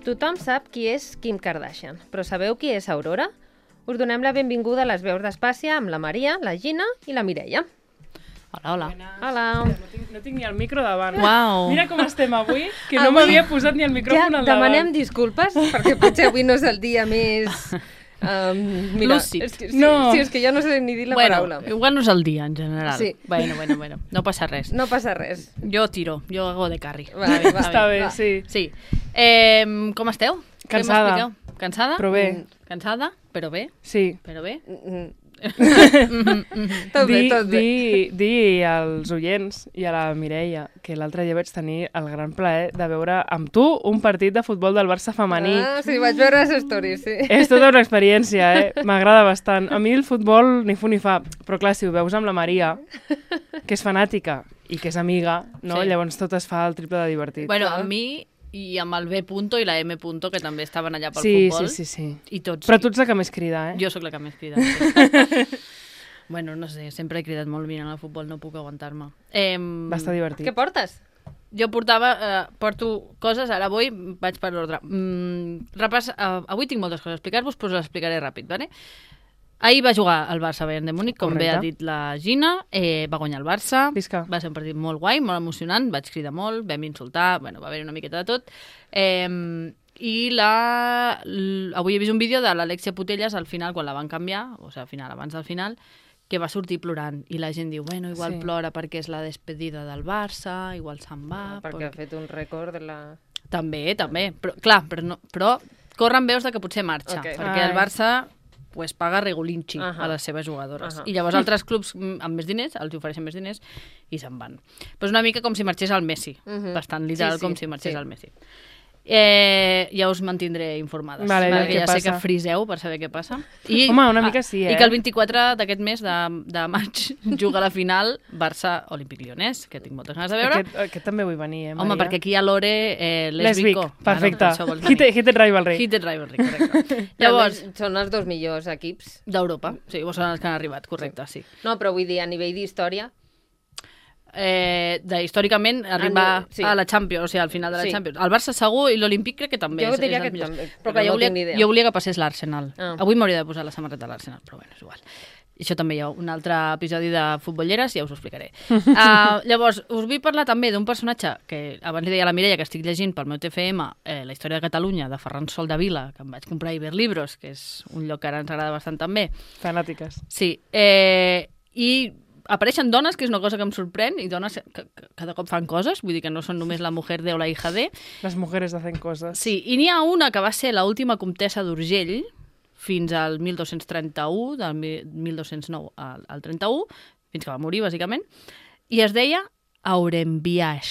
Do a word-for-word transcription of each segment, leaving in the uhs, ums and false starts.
Tothom sap qui és Kim Kardashian, però sabeu qui és Aurora? Us donem la benvinguda a les veus d'Espàcia amb la Maria, la Gina i la Mireia. Hola, hola. Hola. No tinc, no tinc ni el micro davant. Uau. Mira com estem avui, que no Avui- m'havia posat ni el micròfon Ja al davant. demanem disculpes, perquè potser avui no és el dia més... Um, mira, Lúcid. és que, sí, No. sí, és que ja no sé ni dir la bueno, paraula. igual no és el dia, en general. Sí. Bueno, bueno, bueno. No passa res. No passa res. Jo tiro, jo hago de carri. Va, va, Està bé, va. sí. Sí. Eh, com esteu? Què Cansada. m'expliqueu? Cansada? Però bé. Mm, Cansada, però bé. Sí. Però bé. Mm, Tot bé, Di, tot bé. di, di als oients i a la Mireia que l'altre dia vaig tenir el gran plaer de veure amb tu un partit de futbol del Barça femení. Ah, sí, vaig veure les stories, sí. És tota una experiència, eh? M'agrada bastant. A mi el futbol ni fu ni fa, però clar, si ho veus amb la Maria, que és fanàtica i que és amiga, no? Sí. Llavors tot es fa el triple de divertit. Bueno, clar. a mi i amb el B punto i la M punto, que també estaven allà pel sí, futbol. sí, sí, sí. I tots. Però tu ets la que més crida, eh? Jo sóc la que més crida. Sí. Bueno, no sé, sempre he cridat molt mirant el futbol, no puc aguantar-me. Eh, Va estar divertit. Què portes? Jo portava, eh, porto coses, ara avui vaig per l'ordre. Mm, repàs, eh, avui tinc moltes coses a explicar-vos, però us les explicaré ràpid, ¿vale? Ahir va jugar el Barça Bayern de Múnich, com bé Correcte. ha dit la Gina, eh, va guanyar el Barça, Visca. va ser un partit molt guai, molt emocionant, vaig cridar molt, vam insultar, bueno, va haver una miqueta de tot. Eh, I la... l- avui he vist un vídeo de l'Alexia Putellas al final, quan la van canviar, o sigui, al final, abans del final, que va sortir plorant, i la gent diu, bueno, igual Sí. plora perquè és la despedida del Barça, igual se'n va... perquè ha fet un rècord de la... També, també. Però, clar, però, no, però corren veus de que potser marxa, Ok. perquè Ai. el Barça pues, paga regulinchi uh Ahà. -huh. a les seves jugadores. Ahà. I llavors altres clubs mm, amb més diners els ofereixen més diners i se'n van. Però és una mica com si marxés el Messi. Uh Mhm. -huh. Bastant literal Sí, sí, com si marxés sí. el Messi. Eh, ja us mantindré informades, Vale, perquè què ja sé passa? que friseu per saber què passa. I, Home, una mica sí, I eh? que el vint-i-quatre d'aquest mes de, de maig juga la final Barça-Olímpic Lyonnès, que tinc moltes ganes de veure. Aquest, aquest també vull venir, eh, Maria? Home, perquè aquí hi ha Lore eh, Lesbic, lesbico. perfecte. Claro, això vol dir. Hit, Hit Rivalry. Hit and Rivalry, correcte. Llavors... Llavors, Són els dos millors equips. d'Europa. Sí, vos són els que han arribat, correcte, sí. No, però vull dir, a nivell d'història... Eh, de, històricament, arribar sí. a la Champions, o sigui, al final de la Sí. Champions. El Barça segur i l'Olímpic crec que també. Jo és, diria és que els millors. també, Però, però clar, no jo, volia, tinc ni idea. jo volia que passés l'Arsenal. Ah. Avui m'hauria de posar la samarreta de l'Arsenal, però bueno, és igual. Això també hi ha un altre episodi de futbolleres, ja us ho explicaré. Uh, llavors, us vull parlar també d'un personatge que abans li deia a la Mireia que estic llegint pel meu T F M, eh, la història de Catalunya, de Ferran Sol de Vila, que em vaig comprar a Iberlibros, que és un lloc que ara ens agrada bastant també. Fanàtiques. Sí, eh, i apareixen dones, que és una cosa que em sorprèn, i dones que, que cada cop fan coses, vull dir que no són només la mujer de o la hija de. Les mujeres hacen coses. Sí, i n'hi ha una que va ser l'última comtessa d'Urgell, fins al mil dos-cents trenta-u, del mil dos-cents nou al, al trenta-u, fins que va morir, bàsicament, i es deia Aurembiaix.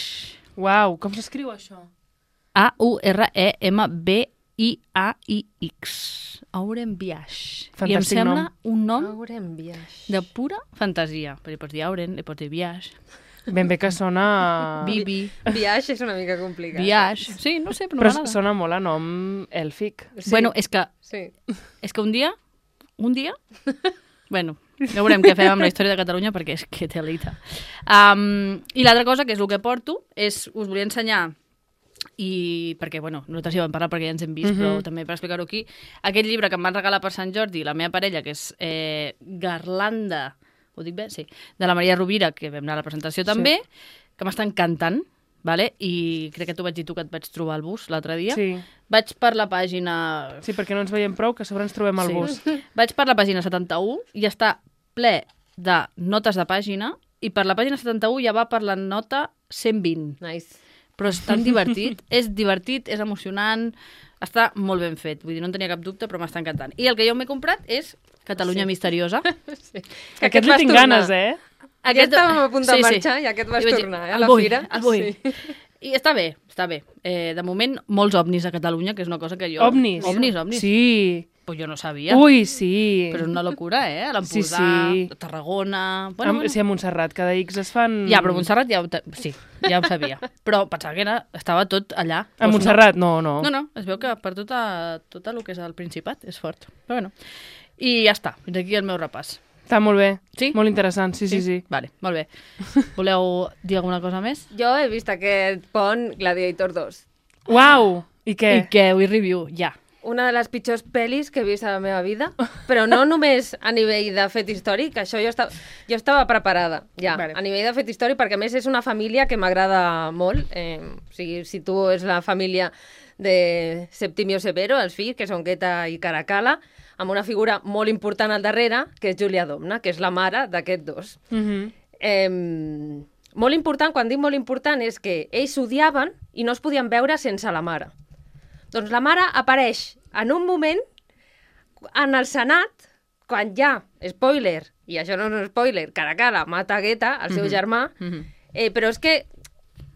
Uau, com s'escriu això? A U R E M B I A I X. Aurembiaix. I em Fantàstic sembla nom. un nom Haurem viatge. de pura fantasia. Perquè pots dir Auren, li pots dir Biaix, Ben bé que sona... Bibi, Viatge és una mica complicat. Biaix. Sí, no sé, però Però m'agrada. sona molt a nom èlfic. Sí. Bueno, és que, Sí. és que un dia, un dia, bueno, ja veurem què fem amb la història de Catalunya perquè és que telita. Um, I l'altra cosa, que és el que porto, és, us volia ensenyar, i perquè, bueno, nosaltres ja vam parlar perquè ja ens hem vist, Mhm. però també per explicar-ho aquí, aquest llibre que em van regalar per Sant Jordi, la meva parella, que és eh, Garlanda, ho dic bé? Sí, de la Maria Rovira, que vam anar a la presentació també, que m'està encantant, vale? I crec que t'ho vaig dir tu que et vaig trobar al bus l'altre dia. Sí. Vaig per la pàgina... Sí, perquè no ens veiem prou, que a sobre ens trobem al Sí. bus. Vaig per la pàgina setanta-u i està ple de notes de pàgina i per la pàgina setanta-u ja va per la nota cent vint. Nice. Però és tan divertit, és divertit, és emocionant, està molt ben fet. Vull dir, no en tenia cap dubte, però m'està encantant. I el que jo m'he comprat és Catalunya Sí. Misteriosa. Sí. Que aquest li tinc ganes, eh? Aquest... Ja estàvem a punt de marxar i aquest vas I vaig dir, tornar, eh, a el la vull, fira. El vull. Sí. I està bé, està bé. Eh, de moment, molts ovnis a Catalunya, que és una cosa que jo... Ovnis. Ovnis, ovnis. Sí. Pues jo no sabia. Ui, sí. Però és una locura, eh? A l'Empordà, Sí, sí. a Tarragona... Bueno, bueno. Sí, a Montserrat, cada X es fan... Ja, però Montserrat ja ho, te- sí, ja ho sabia. Però pensava que era, estava tot allà. A Doncs Montserrat, no, no. No, no, es veu que per tota, tot el que és el Principat és fort. Però bueno. I ja està, fins aquí el meu repàs. Està molt bé. Sí? Molt interessant, sí, sí, sí. Vale, molt bé. Voleu dir alguna cosa més? Jo he vist aquest pont Gladiator dos. Uau! I què? I què? Avui review, ja. Una de les pitjors pel·lis que he vist a la meva vida, però no només a nivell de fet històric, això jo estava, jo estava preparada, ja, Vale. a nivell de fet històric, perquè a més és una família que m'agrada molt, eh, o sigui, si tu és la família de Septimio Severo, els fills, que són Queta i Caracalla, amb una figura molt important al darrere, que és Júlia Domna, que és la mare d'aquests dos. Mhm. Eh, molt important, quan dic molt important, és que ells s'odiaven i no es podien veure sense la mare. Doncs la mare apareix en un moment en el Senat, quan ja, spoiler, i això no és un spoiler, Caracalla mata Guetta, el seu Mhm. germà, Mhm. eh, però és que,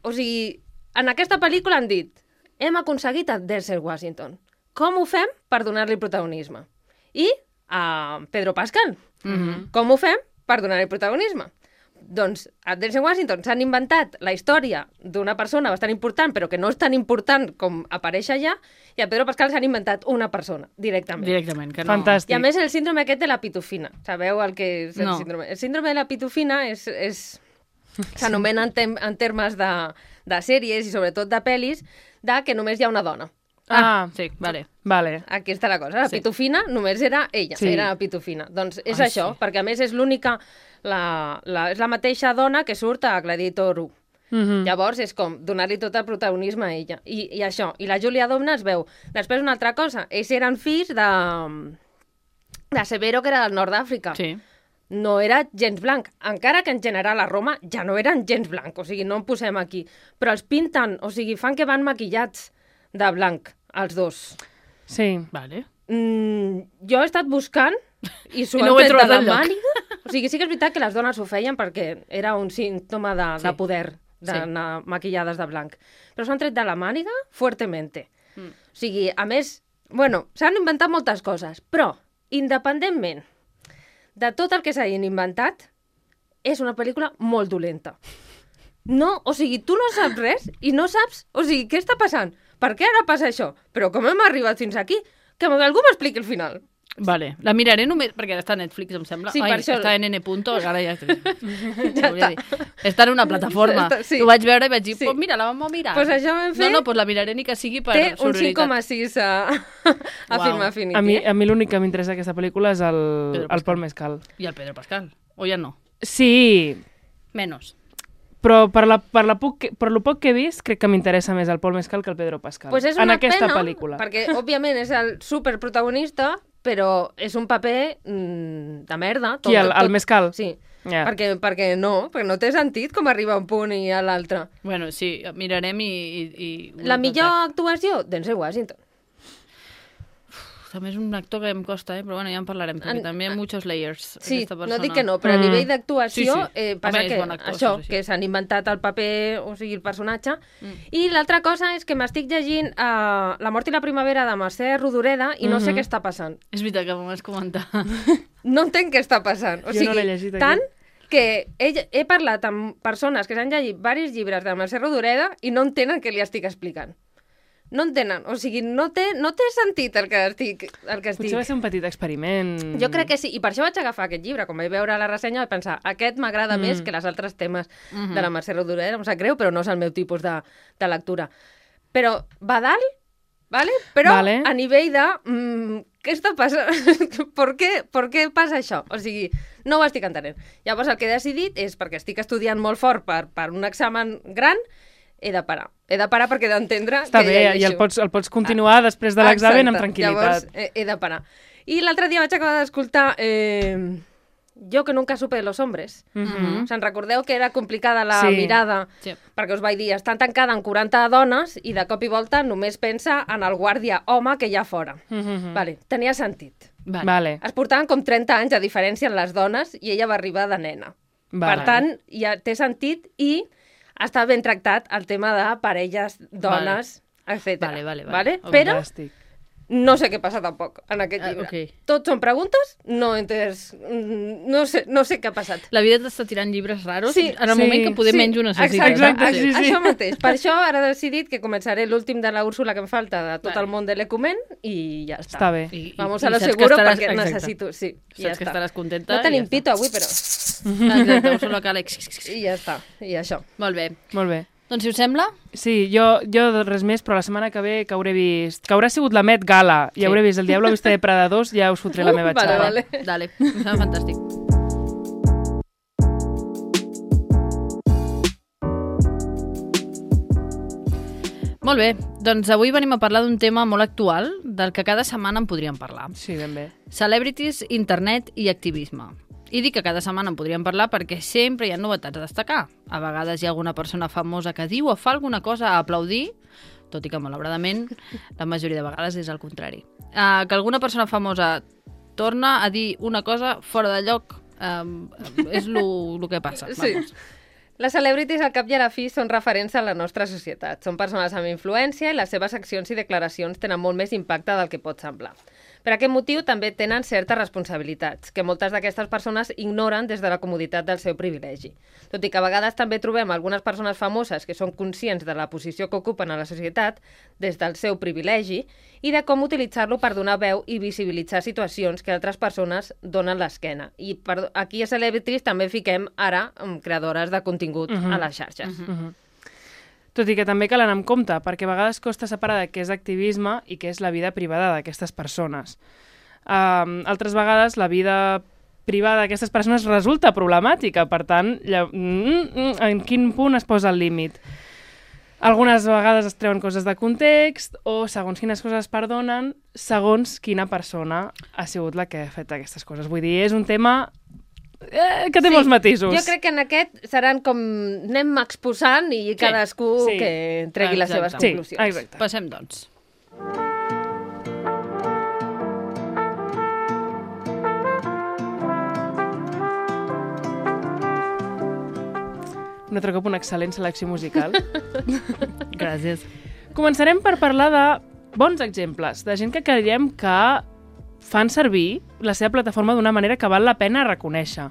o sigui, en aquesta pel·lícula han dit hem aconseguit a Denzel Washington. Com ho fem per donar-li protagonisme? I a Pedro Pascal. Mhm. Com ho fem per donar-li protagonisme? Doncs a Denzel Washington s'han inventat la història d'una persona bastant important, però que no és tan important com apareix allà, i a Pedro Pascal s'han inventat una persona, directament. Directament, que no... Fantàstic. I a més el síndrome aquest de la pitufina. Sabeu el que és el No. síndrome? El síndrome de la pitufina és... és s'anomena en, tem en termes de, de sèries i sobretot de pel·lis, de que només hi ha una dona. Ah, Sí, vale. vale. Aquí està la cosa. La Sí. pitufina només era ella, Sí. era la pitufina. Doncs és Ai, això, sí. perquè a més és l'única... La, la, és la mateixa dona que surt a Gladiator u. Mhm. Llavors és com donar-li tot el protagonisme a ella. I, I això. I la Júlia Domna es veu. Després una altra cosa. Ells eren fills de... de Severo, que era del nord d'Àfrica. Sí. No era gens blanc, encara que en general a Roma ja no eren gens blanc, o sigui, no en posem aquí. Però els pinten, o sigui, fan que van maquillats de blanc, els dos. Sí. Vale. Mm, jo he estat buscant i s'ho I han no ho he tret de trobat la enlloc. màniga. O sigui, sí que és veritat que les dones ho feien perquè era un símptoma de, Sí. de poder, d'anar maquillades de blanc. Però s'han tret de la màniga fuertemente. Mm. O sigui, a més, bueno, s'han inventat moltes coses, però, independentment de tot el que s'hagin inventat, és una pel·lícula molt dolenta. No, o sigui, tu no saps res i no saps, o sigui, què està passant? Per què ara passa això? Però com hem arribat fins aquí? Que algú m'expliqui el final. Vale. La miraré només, perquè està a Netflix, em sembla. Sí, Ai, per això- està en N. Ara ja... Ja ja dir. Està en una plataforma. Està- sí. Ho vaig veure i vaig dir, Sí. pues mira, la vam a mirar. Pues això vam fer. No, no, pues la miraré ni que sigui per Té un cinc sororitat. coma sis a, a Uau. Film Affinity. A mi, eh? a mi l'únic que m'interessa d'aquesta pel·lícula és el, Pedro el Pascal. Paul Mescal. I el Pedro Pascal. O ja no? Sí, Menos. però per, la, per, la poc que, per lo poc que he vist, crec que m'interessa més el Paul Mescal que el Pedro Pascal. Pues és en una aquesta pena, pel·lícula. perquè, òbviament, és el superprotagonista, però és un paper mm, de merda. Qui, el, el Mescal? Sí, Ja. perquè, perquè no, perquè no té sentit com arriba a un punt i a l'altre. Bueno, sí, mirarem i... i, i La millor actuació, Denzel Washington. També és un actor que em costa, eh? Però bueno, ja en parlarem, perquè En- també hi ha muchos layers, Sí, aquesta persona. no dic que no, però a Mm. nivell d'actuació Sí, sí. eh, passa Home, és que bon actor, això, sí, sí. que s'han inventat el paper, o sigui, el personatge. Mm. I l'altra cosa és que m'estic llegint uh, La mort i la primavera de Mercè Rodoreda i no sé Mhm. què està passant. És veritat que m'ho vas comentar. No entenc què està passant. O Jo sigui, no l'he llegit, aquí. tant que he, he parlat amb persones que s'han llegit diversos llibres de Mercè Rodoreda i no entenen què li estic explicant. No entenen. O sigui, no té, no té sentit el que estic... El que estic... Potser va ser un petit experiment. Jo crec que sí, i per això vaig agafar aquest llibre. Quan vaig veure la ressenya vaig pensar, aquest m'agrada Mm. més que els altres temes Mhm. de la Mercè Rodoreda. Em sap greu, però no és el meu tipus de, de lectura. Però va dalt, ¿vale? Però Vale. a nivell de... Mm, què està passant? per, què, per què passa això? O sigui, no ho estic entenent. Llavors el que he decidit és, perquè estic estudiant molt fort per, per un examen gran, he de parar. He de parar perquè he d'entendre Està què bé, i llegeixo. el pots, el pots continuar després de l'examen amb Exacte. tranquil·litat. Llavors, he, he de parar. I l'altre dia vaig acabar d'escoltar eh, Jo que nunca supe de los hombres. Mhm. Se'n recordeu que era complicada la Sí. mirada, Sí. perquè us vaig dir, està tancada en quaranta dones i de cop i volta només pensa en el guàrdia home que hi ha fora. Mhm. Vale, tenia sentit. Vale. Vale. Es portaven com trenta anys de diferència en les dones i ella va arribar de nena. Vale. Per tant, ja té sentit i està ben tractat el tema de parelles, dones, etcètera. Vale, vale, vale. Vale? Ok. Però Fantàstic. no sé què passa tampoc en aquest Ah, llibre. ok. Tot són preguntes, no he entès, mm, no sé, no sé què ha passat. La vida t'està tirant llibres raros Sí, en el sí, moment que poder Sí, menys ho necessites. Exacte, Exacte, sí, sí. això mateix. Per això ara he decidit que començaré l'últim de la Úrsula que em falta de tot Vale. el món de l'Ecumen i ja està. Està bé. I, Vamos i a lo saps que seguro estaràs- perquè exacte. necessito... Sí, i ja Saps que està. estaràs contenta No tenim i ja pito avui, però... està. Exacte, solo cal... I ja està, i això. Molt bé. Molt bé. Doncs si us sembla... Sí, jo, jo res més, però la setmana que ve que hauré vist... Que haurà sigut la Met Gala i Sí. hauré vist El Diablo viste de Prada dos, ja us fotré la meva vale, xapa. vale. Dale, em sembla fantàstic. Molt bé, doncs avui venim a parlar d'un tema molt actual, del que cada setmana en podríem parlar. Sí, ben bé. Celebrities, internet i activisme. I dic que cada setmana en podríem parlar perquè sempre hi ha novetats a destacar. A vegades hi ha alguna persona famosa que diu o fa alguna cosa a aplaudir, tot i que, malauradament, la majoria de vegades és el contrari. Uh, que alguna persona famosa torna a dir una cosa fora de lloc um, és el que passa. Sí. Vamos. Les celebrities, al cap i a la fi, són referents a la nostra societat. Són persones amb influència i les seves accions i declaracions tenen molt més impacte del que pot semblar. Per aquest motiu, també tenen certes responsabilitats, que moltes d'aquestes persones ignoren des de la comoditat del seu privilegi. Tot i que a vegades també trobem algunes persones famoses que són conscients de la posició que ocupen a la societat des del seu privilegi i de com utilitzar-lo per donar veu i visibilitzar situacions que altres persones donen l'esquena. I per, aquí a Celebrities també fiquem ara um, creadores de contingut uh-huh. a les xarxes. Uh-huh. Uh-huh. Tot i que també cal anar amb compte, perquè a vegades costa separar de què és activisme i què és la vida privada d'aquestes persones. Um, altres vegades la vida privada d'aquestes persones resulta problemàtica, per tant, lla... mm, mm, en quin punt es posa el límit? Algunes vegades es treuen coses de context o segons quines coses es perdonen, segons quina persona ha sigut la que ha fet aquestes coses. Vull dir, és un tema eh, que té Sí, molts matisos. Jo crec que en aquest seran com anem exposant i cadascú sí. que tregui les seves Exacte. Sí, conclusions. exacte. Passem, doncs. Un altre cop una excel·lent selecció musical. Gràcies. Començarem per parlar de bons exemples, de gent que creiem que fan servir la seva plataforma d'una manera que val la pena reconèixer.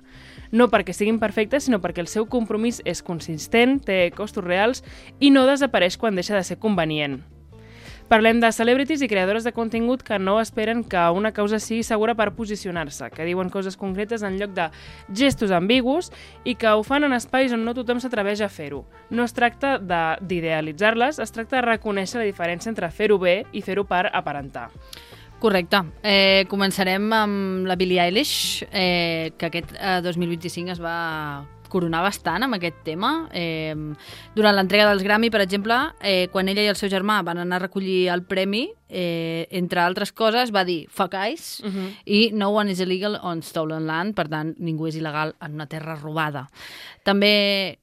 No perquè siguin perfectes, sinó perquè el seu compromís és consistent, té costos reals i no desapareix quan deixa de ser convenient. Parlem de celebrities i creadores de contingut que no esperen que una causa sigui segura per posicionar-se, que diuen coses concretes en lloc de gestos ambigus i que ho fan en espais on no tothom s'atreveix a fer-ho. No es tracta de- d'idealitzar-les, es tracta de reconèixer la diferència entre fer-ho bé i fer-ho per aparentar. Correcte. Eh, començarem amb la Billie Eilish, eh, que aquest eh, dos mil vint-i-cinc es va coronar bastant amb aquest tema. Eh, durant l'entrega dels Grammy, per exemple, eh, quan ella i el seu germà van anar a recollir el premi, eh, entre altres coses, va dir fuck eyes Uh -huh. i no one is illegal on stolen land, per tant, ningú és il·legal en una terra robada. També...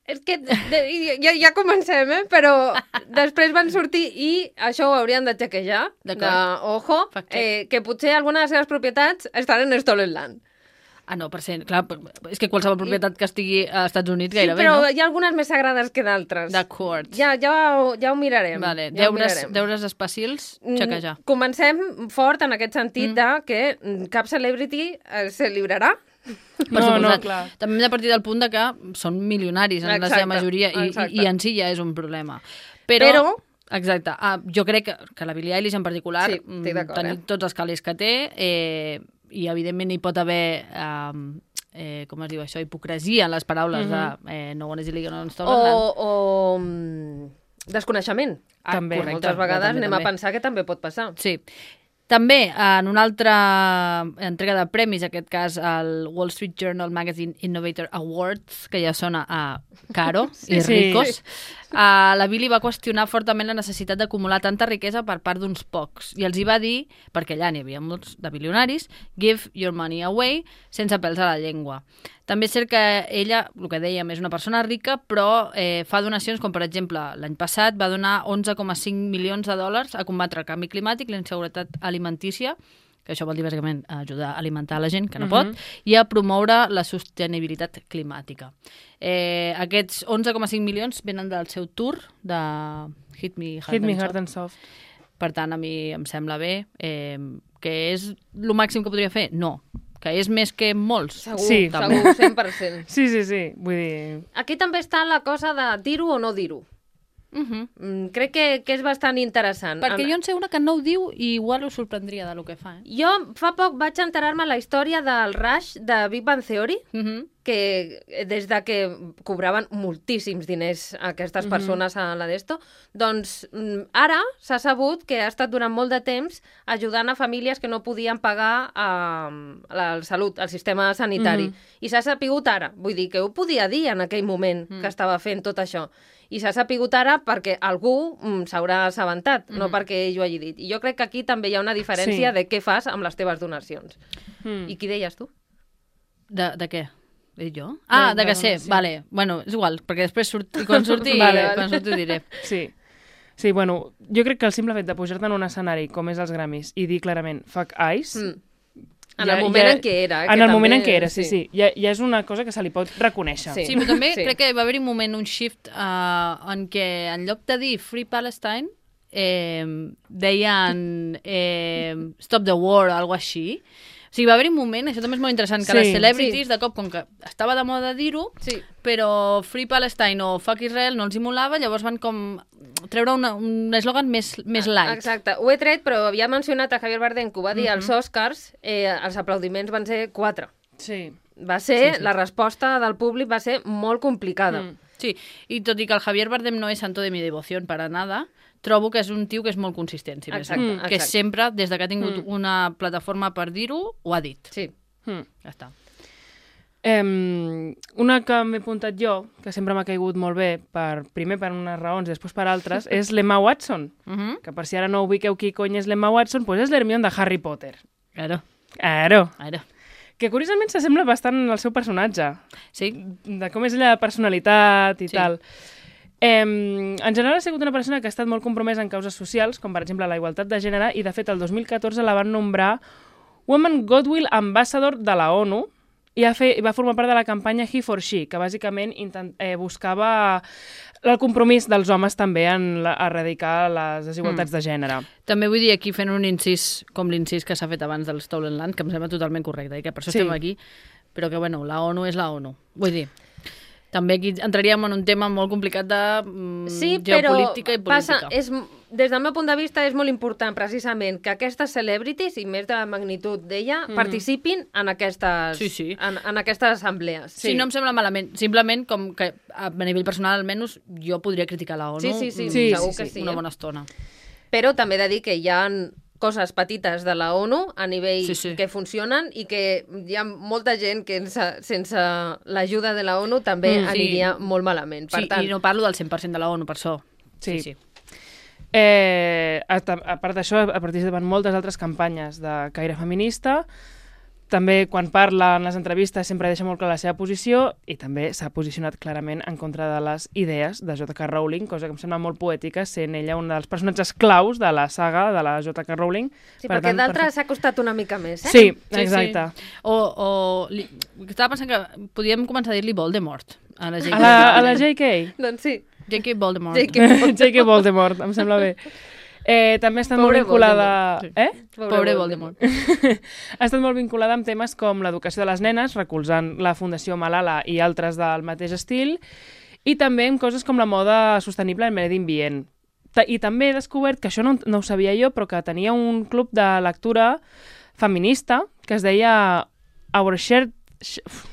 És que de, ja, ja comencem, eh? Però després van sortir i això ho haurien de xequejar, de, D'acord. ojo, Fact check. eh, que potser algunes de les seves propietats estan en Stolen Land. Ah, no, per cent, clar, és que qualsevol propietat que estigui als Estats Units Sí, gairebé, però no? hi ha algunes més sagrades que d'altres. D'acord. Ja, ja, ho, ja ho mirarem. Vale, ja ho deures, mirarem. deures especils, Mm, xequejar. Comencem fort en aquest sentit Mm. de que mm, cap celebrity eh, se librarà. Per No, suposat. no, clar. També hem de partir del punt de que són milionaris en la seva Exacte, majoria i, exacte. i, i en si ja és un problema. Però, Però- exacte, ah, jo crec que, que la Billie Eilish en particular, Sí, estic d'acord, tenir eh? tots els calés que té, eh, i evidentment hi pot haver... Eh, eh, com es diu això, hipocresia en les paraules Mhm. de eh, no one is illegal on O, stolen land. o mm, desconeixement. Ah, també. correcte, Moltes vegades també, anem també. a pensar que també pot passar. Sí. També, en una altra entrega de premis, en aquest cas el Wall Street Journal Magazine Innovator Awards, que ja sona a caro i Sí. ricos, uh, la Billie va qüestionar fortament la necessitat d'acumular tanta riquesa per part d'uns pocs. I els hi va dir, perquè allà n'hi havia molts de bilionaris, give your money away, sense pèls a la llengua. També és cert que ella, el que dèiem, és una persona rica, però eh, fa donacions, com per exemple, l'any passat va donar onze coma cinc milions de dòlars a combatre el canvi climàtic, la inseguretat alimentícia, que això vol dir bàsicament ajudar a alimentar la gent que no Mhm. pot, i a promoure la sostenibilitat climàtica. Eh, aquests onze coma cinc milions venen del seu tour de Hit Me Hard, Hit me and hard Soft. and soft. Per tant, a mi em sembla bé. Eh, que és el màxim que podria fer? No. Que és més que molts? Segur, Sí. segur, cent per cent. Sí, sí, sí. Vull dir... Aquí també està la cosa de dir-ho o no dir-ho. Uh -huh. Mm, crec que, que és bastant interessant. Perquè En- jo en sé una que no ho diu i igual us sorprendria de lo que fa. Eh? Jo fa poc vaig enterar-me la història del Rush de Big Bang Theory, Uh -huh. que des de que cobraven moltíssims diners aquestes persones a la d'esto, doncs ara s'ha sabut que ha estat durant molt de temps ajudant a famílies que no podien pagar a, a la salut, al sistema sanitari. Mm-hmm. I s'ha sapigut ara, vull dir que ho podia dir en aquell moment mm. que estava fent tot això. I s'ha sapigut ara perquè algú mm, s'haurà assabentat, mm. no perquè ell ho hagi dit. I jo crec que aquí també hi ha una diferència sí. de què fas amb les teves donacions. Mm. I qui deies tu? De, de què? He dit jo? Ah, de, de que sé, sí. Vale. Bueno, és igual, perquè després surt, quan surti, vale, vale. Quan surti ho diré. Sí. Sí, bueno, jo crec que el simple fet de pujar-te en un escenari com és els Grammys i dir clarament fuck ice... Mm. En el ja, moment ja, en què era. Eh, en el també, moment en què era, sí, sí. sí. Ja, ja és una cosa que se li pot reconèixer. Sí, sí però també sí. crec que va haver-hi un moment, un shift, uh, en què en lloc de dir Free Palestine, eh, deien eh, Stop the War o alguna així. O sigui, va haver-hi un moment, això també és molt interessant, que sí, les celebrities, sí. de cop, com que estava de moda dir-ho, sí. però Free Palestine o Fuck Israel no els hi molava, llavors van com treure una, un eslògan més, més light. Exacte, ho he tret, però havia mencionat a Javier Bardem, que ho va dir mm-hmm. als Oscars, eh, els aplaudiments van ser quatre. Sí. Va ser, sí, sí. La resposta del públic va ser molt complicada. Mm. Sí, i tot i que el Javier Bardem no és santo de mi devoció para nada, trobo que és un tio que és molt consistent, si exacte, més mm. que sempre, des de que ha tingut mm. una plataforma per dir-ho, ho ha dit. Sí. Mm. Ja està. Um, una que m'he apuntat jo, que sempre m'ha caigut molt bé, per, primer per unes raons i després per altres, és l'Emma Watson. Mm-hmm. Que per si ara no ubiqueu qui cony és l'Emma Watson, doncs és l'Hermione de Harry Potter. Claro. Claro. Claro. Que curiosament s'assembla bastant al seu personatge. Sí. De com és ella de personalitat i sí. tal. Eh, en general ha sigut una persona que ha estat molt compromesa en causes socials, com per exemple la igualtat de gènere, i de fet el dos mil catorze la van nombrar Woman Goodwill Ambassador de la ONU i va, fer, va formar part de la campanya He for She, que bàsicament intent, eh, buscava el compromís dels homes també en la, erradicar les desigualtats mm. de gènere. També vull dir aquí fent un incís com l'incís que s'ha fet abans del Stolen Land, que em sembla totalment correcte i que per això sí. estem aquí, però que bueno, la ONU és la ONU. Vull dir... També aquí entraríem en un tema molt complicat de mm, sí, geopolítica i política. Passa, és, des del meu punt de vista és molt important precisament que aquestes celebrities, i més de la magnitud d'ella, mm. participin en aquestes, sí, sí. En, en aquestes assemblees. Sí. sí, no em sembla malament. Simplement, com que a nivell personal almenys, jo podria criticar la ONU sí, sí, sí, sí, segur sí, que sí, sí, una eh? bona estona. Però també he de dir que hi ha coses petites de la ONU a nivell sí, sí. que funcionen i que hi ha molta gent que sense, sense l'ajuda de la ONU també mm, aniria sí. molt malament. Per sí, tant... i no parlo del cent per cent de la ONU, per això. Sí, sí. sí. Eh, a, a part d'això, ha participat en moltes altres campanyes de caire feminista. També, quan parla en les entrevistes, sempre deixa molt clar la seva posició i també s'ha posicionat clarament en contra de les idees de J K Rowling, cosa que em sembla molt poètica, sent ella un dels personatges claus de la saga de la J K Rowling. Sí, per perquè tant, d'altres per... s'ha costat una mica més, eh? Sí, exacte. Sí, sí. O, o li... estava pensant que podíem començar a dir-li Voldemort a la J K. A la, a la J K? Doncs sí. J K Voldemort. J K Voldemort, J K Voldemort em sembla bé. Eh, també ha estat Pobre molt vinculada... Sí. Eh? Pobre, Pobre Voldemort. Ha estat molt vinculada amb temes com l'educació de les nenes, recolzant la Fundació Malala i altres del mateix estil, i també amb coses com la moda sostenible en medi ambient. I també he descobert, que això no, no ho sabia jo, però que tenia un club de lectura feminista que es deia Our Shared...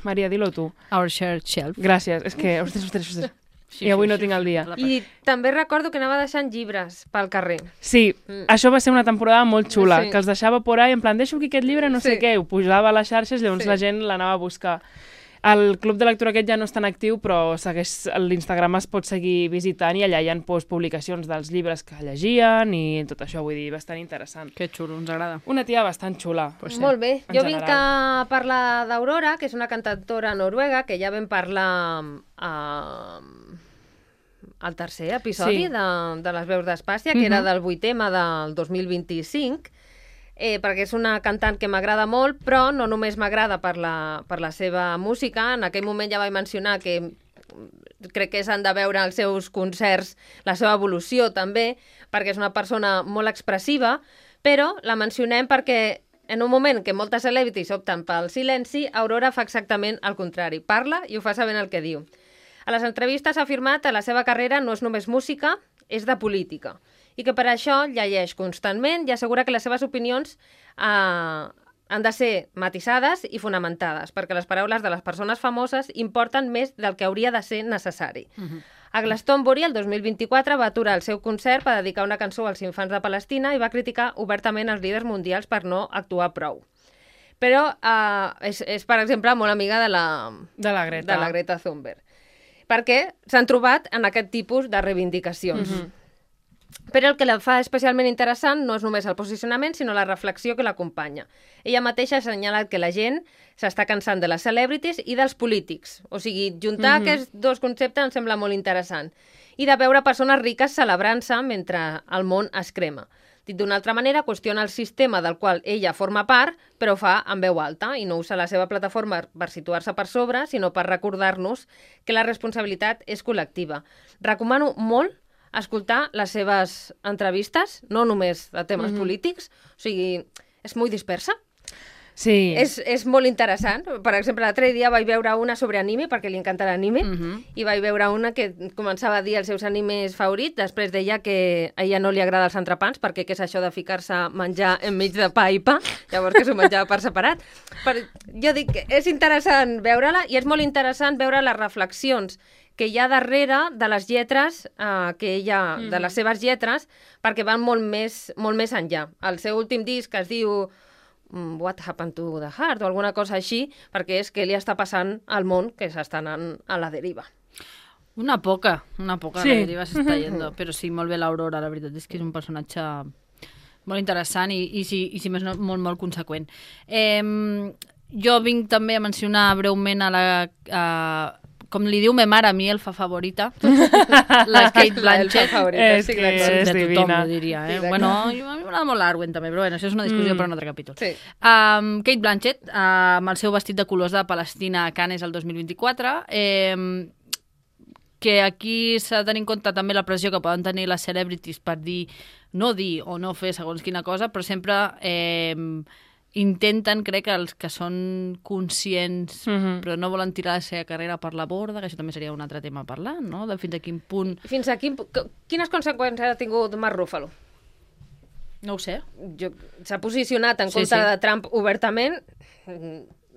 Maria, dilo tu. Our Shared Shelf. Gràcies. És que... Ostres, ostres, ostres. Sí, I avui sí, no sí, tinc el dia. I també recordo que anava deixant llibres pel carrer. Sí, mm. això va ser una temporada molt xula, sí. que els deixava por ahí, en plan, deixo aquí aquest llibre, no sí. sé què, ho pujava a les xarxes, llavors sí. la gent l'anava a buscar. El club de lectura aquest ja no és tan actiu, però segueix l'Instagram es pot seguir visitant i allà hi ha pues, publicacions dels llibres que llegien i tot això, vull dir, bastant interessant. Que xulo, ens agrada. Una tia bastant xula. Pues sí. Molt bé. Jo general. vinc a parlar d'Aurora, que és una cantautora noruega, que ja vam parlar a... al tercer episodi sí. de, de les veus d'Espàcia, que mm-hmm. era del vuitema del dos mil vint-i-cinc, eh, perquè és una cantant que m'agrada molt, però no només m'agrada per, la, per la seva música. En aquell moment ja vaig mencionar que crec que s'han de veure els seus concerts, la seva evolució també, perquè és una persona molt expressiva, però la mencionem perquè en un moment que moltes celebrities opten pel silenci, Aurora fa exactament el contrari. Parla i ho fa sabent el que diu. A les entrevistes ha afirmat que la seva carrera no és només música, és de política, i que per això llegeix constantment i assegura que les seves opinions eh, han de ser matisades i fonamentades, perquè les paraules de les persones famoses importen més del que hauria de ser necessari. Uh-huh. A Glastonbury, el dos mil vint-i-quatre, va aturar el seu concert per dedicar una cançó als infants de Palestina i va criticar obertament els líders mundials per no actuar prou. Però uh, és, és, per exemple, molt amiga de la, de la Greta, de la Greta Thunberg, perquè s'han trobat en aquest tipus de reivindicacions. Uh-huh. Però el que la fa especialment interessant no és només el posicionament, sinó la reflexió que l'acompanya. Ella mateixa ha assenyalat que la gent s'està cansant de les celebrities i dels polítics. O sigui, juntar mm-hmm. aquests dos conceptes em sembla molt interessant. I de veure persones riques celebrant-se mentre el món es crema. Dit d'una altra manera, qüestiona el sistema del qual ella forma part, però ho fa en veu alta i no usa la seva plataforma per situar-se per sobre, sinó per recordar-nos que la responsabilitat és col·lectiva. Recomano molt escoltar les seves entrevistes, no només de temes mm-hmm. polítics, o sigui, és molt dispersa. Sí. És, és molt interessant. Per exemple, l'altre dia vaig veure una sobre anime, perquè li encanta l'anime, mm-hmm. i vaig veure una que començava a dir els seus animes favorits, després deia que a ella no li agrada els entrepans, perquè què és això de ficar-se a menjar enmig de pa i pa, llavors que s'ho menjava per separat. Però jo dic que és interessant veure-la, i és molt interessant veure les reflexions que hi ha darrere de les lletres, eh, que ella, mm. de les seves lletres, perquè van molt més, molt més enllà. El seu últim disc es diu What Happened to the Heart o alguna cosa així, perquè és que li està passant al món que s'està anant a la deriva. Una poca, una poca sí. la deriva s'està yendo, però sí, molt bé l'Aurora, la veritat és que és un personatge molt interessant i, i, si, i si més no, molt, molt conseqüent. Eh, jo vinc també a mencionar breument a la... A, com li diu me mare, a mi elfa favorita, la Kate Blanchett. Favorita, és sí, que és de tothom, divina. ho diria. Eh? Sí, bueno, jo, a mi m'agrada molt l'Arwen també, però bueno, això és una discussió mm. per un altre capítol. Sí. Um, Kate Blanchett, uh, amb el seu vestit de colors de Palestina a Cannes el dos mil vint-i-quatre, eh, que aquí s'ha de tenir en compte també la pressió que poden tenir les celebrities per dir, no dir o no fer segons quina cosa, però sempre... Eh, intenten, crec, que els que són conscients mm-hmm. però no volen tirar la seva carrera per la borda, que això també seria un altre tema a parlar, no? De fins a quin punt... Fins a quin... Quines conseqüències ha tingut Mark Ruffalo? No ho sé. Jo... S'ha posicionat en sí, contra sí. de Trump obertament.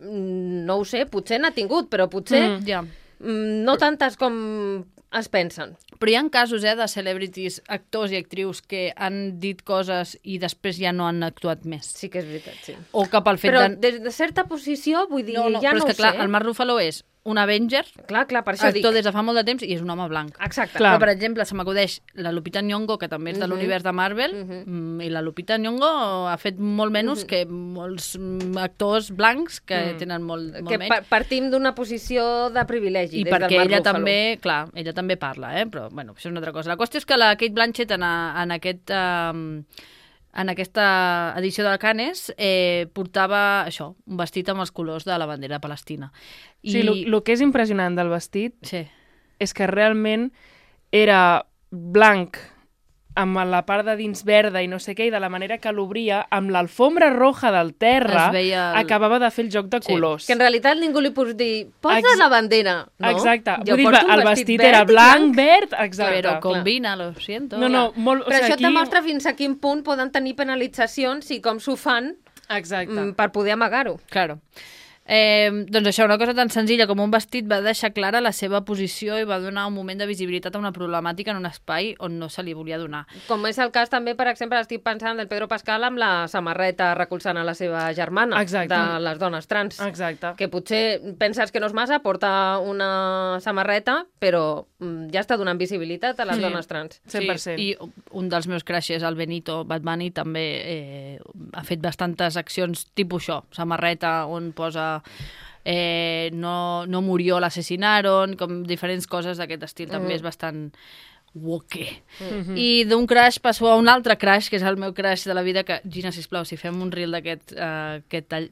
No ho sé, potser n'ha tingut, però potser Mm, ja. no tantes com es pensen. Però hi ha casos eh, de celebrities, actors i actrius que han dit coses i després ja no han actuat més. Sí que és veritat, sí. O que pel fet Però de... des de certa posició, vull dir, No, no, ja però no és que, ho clar, sé. el Mark Ruffalo és un Avenger, Clar, clar, per això actor dic. des de fa molt de temps i és un home blanc. Exacte. Clar. Però, per exemple, se m'acudeix la Lupita Nyong'o, que també és de Mhm. l'univers de Marvel, Mhm. mm, i la Lupita Nyong'o ha fet molt menys Mhm. que molts mm, actors blancs que Mm. tenen molt, molt Que menys. pa partim d'una posició de privilegi. I des del perquè Mark ella Ruffalo. també, clar, ella també parla, eh? Però, bueno, això és una altra cosa. La qüestió és que la Kate Blanchett en, a, en aquest... Um, en aquesta edició de Cannes eh, portava això, un vestit amb els colors de la bandera de Palestina. I... Sí, el que és impressionant del vestit Sí. és que realment era blanc amb la part de dins verda i no sé què, i de la manera que l'obria, amb l'alfombra roja del terra, Es veia el- acabava de fer el joc de Sí. colors. Que en realitat ningú li pot dir posa Ex- la bandera, no? Exacte. Jo Vull dir, porto un el vestit era verd i blanc, verd, exacte. Però combina, lo siento. No, no, molt... Però o sigui, això aquí... et demostra fins a quin punt poden tenir penalitzacions i com s'ho fan Exacte. mm, per poder amagar-ho. Claro. Eh, doncs això, una cosa tan senzilla com un vestit va deixar clara la seva posició i va donar un moment de visibilitat a una problemàtica en un espai on no se li volia donar. Com és el cas també, per exemple, estic pensant del Pedro Pascal amb la samarreta recolzant a la seva germana Exacte. de les dones trans. Exacte. Que potser penses que no és massa, porta una samarreta, però mm, ja està donant visibilitat a les Sí. dones trans. cent per cent. Sí, i un dels meus crushes, el Benito Bad Bunny, també eh, ha fet bastantes accions tipus això, samarreta on posa eh, no, no murió, l'assassinaron, com diferents coses d'aquest estil, també Mhm. és bastant woke. Mhm. I d'un crush passo a un altre crush, que és el meu crush de la vida, que, Gina, sisplau, si fem un reel d'aquest uh, aquest tall,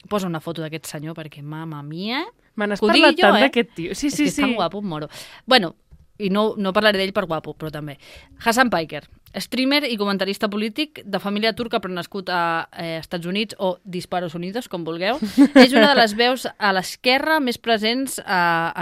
posa una foto d'aquest senyor, perquè, mama mia... Me n'has que ho digui parlat jo, tant eh? d'aquest tio. Sí, és sí, que és sí. tan guapo, em moro. Bueno, i no, no parlaré d'ell per guapo, però també. Hassan Piker, streamer i comentarista polític de família turca però nascut a eh, Estats Units o Disparos Unidos, com vulgueu. És una de les veus a l'esquerra més presents eh,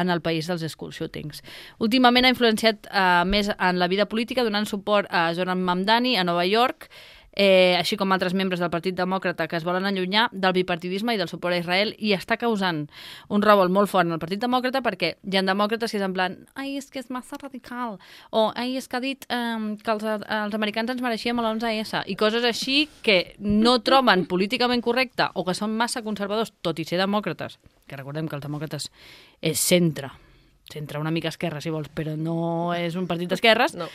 en el país dels school shootings. Últimament ha influenciat eh, més en la vida política donant suport a Zoran Mamdani a Nova York, eh, així com altres membres del Partit Demòcrata que es volen allunyar del bipartidisme i del suport a Israel, i està causant un revolt molt fort en el Partit Demòcrata perquè hi ha demòcrates que és en plan ai, és que és massa radical, o ai, és que ha dit eh, que els, els americans ens mereixíem l'onze esse, i coses així que no troben políticament correcte o que són massa conservadors, tot i ser demòcrates, que recordem que els demòcrates és centre, centre una mica esquerra, si vols, però no és un partit d'esquerres, No.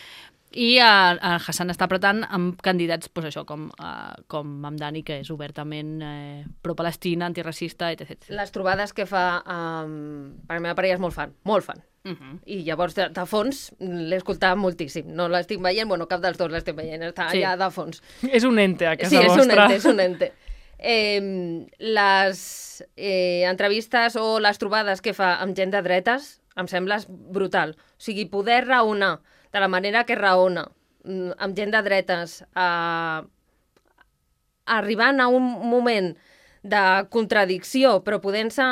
i uh, Hassan està apretant amb candidats, pues això, com, uh, com Mamdani, que és obertament eh, pro-Palestina, antiracista, etcètera. Les trobades que fa, um, per la meva parella és molt fan, molt fan. Uh -huh. I llavors, de, de fons, l'he escoltat moltíssim. No l'estic veient, bueno, cap dels dos l'estic veient, està Sí. allà de fons. És un ente a casa Sí, és un vostra. ente, és un ente. Eh, les eh, entrevistes o les trobades que fa amb gent de dretes em sembla brutal. O sigui, poder raonar de la manera que raona mm, amb gent de dretes, eh, arribant a un moment de contradicció, però podent-se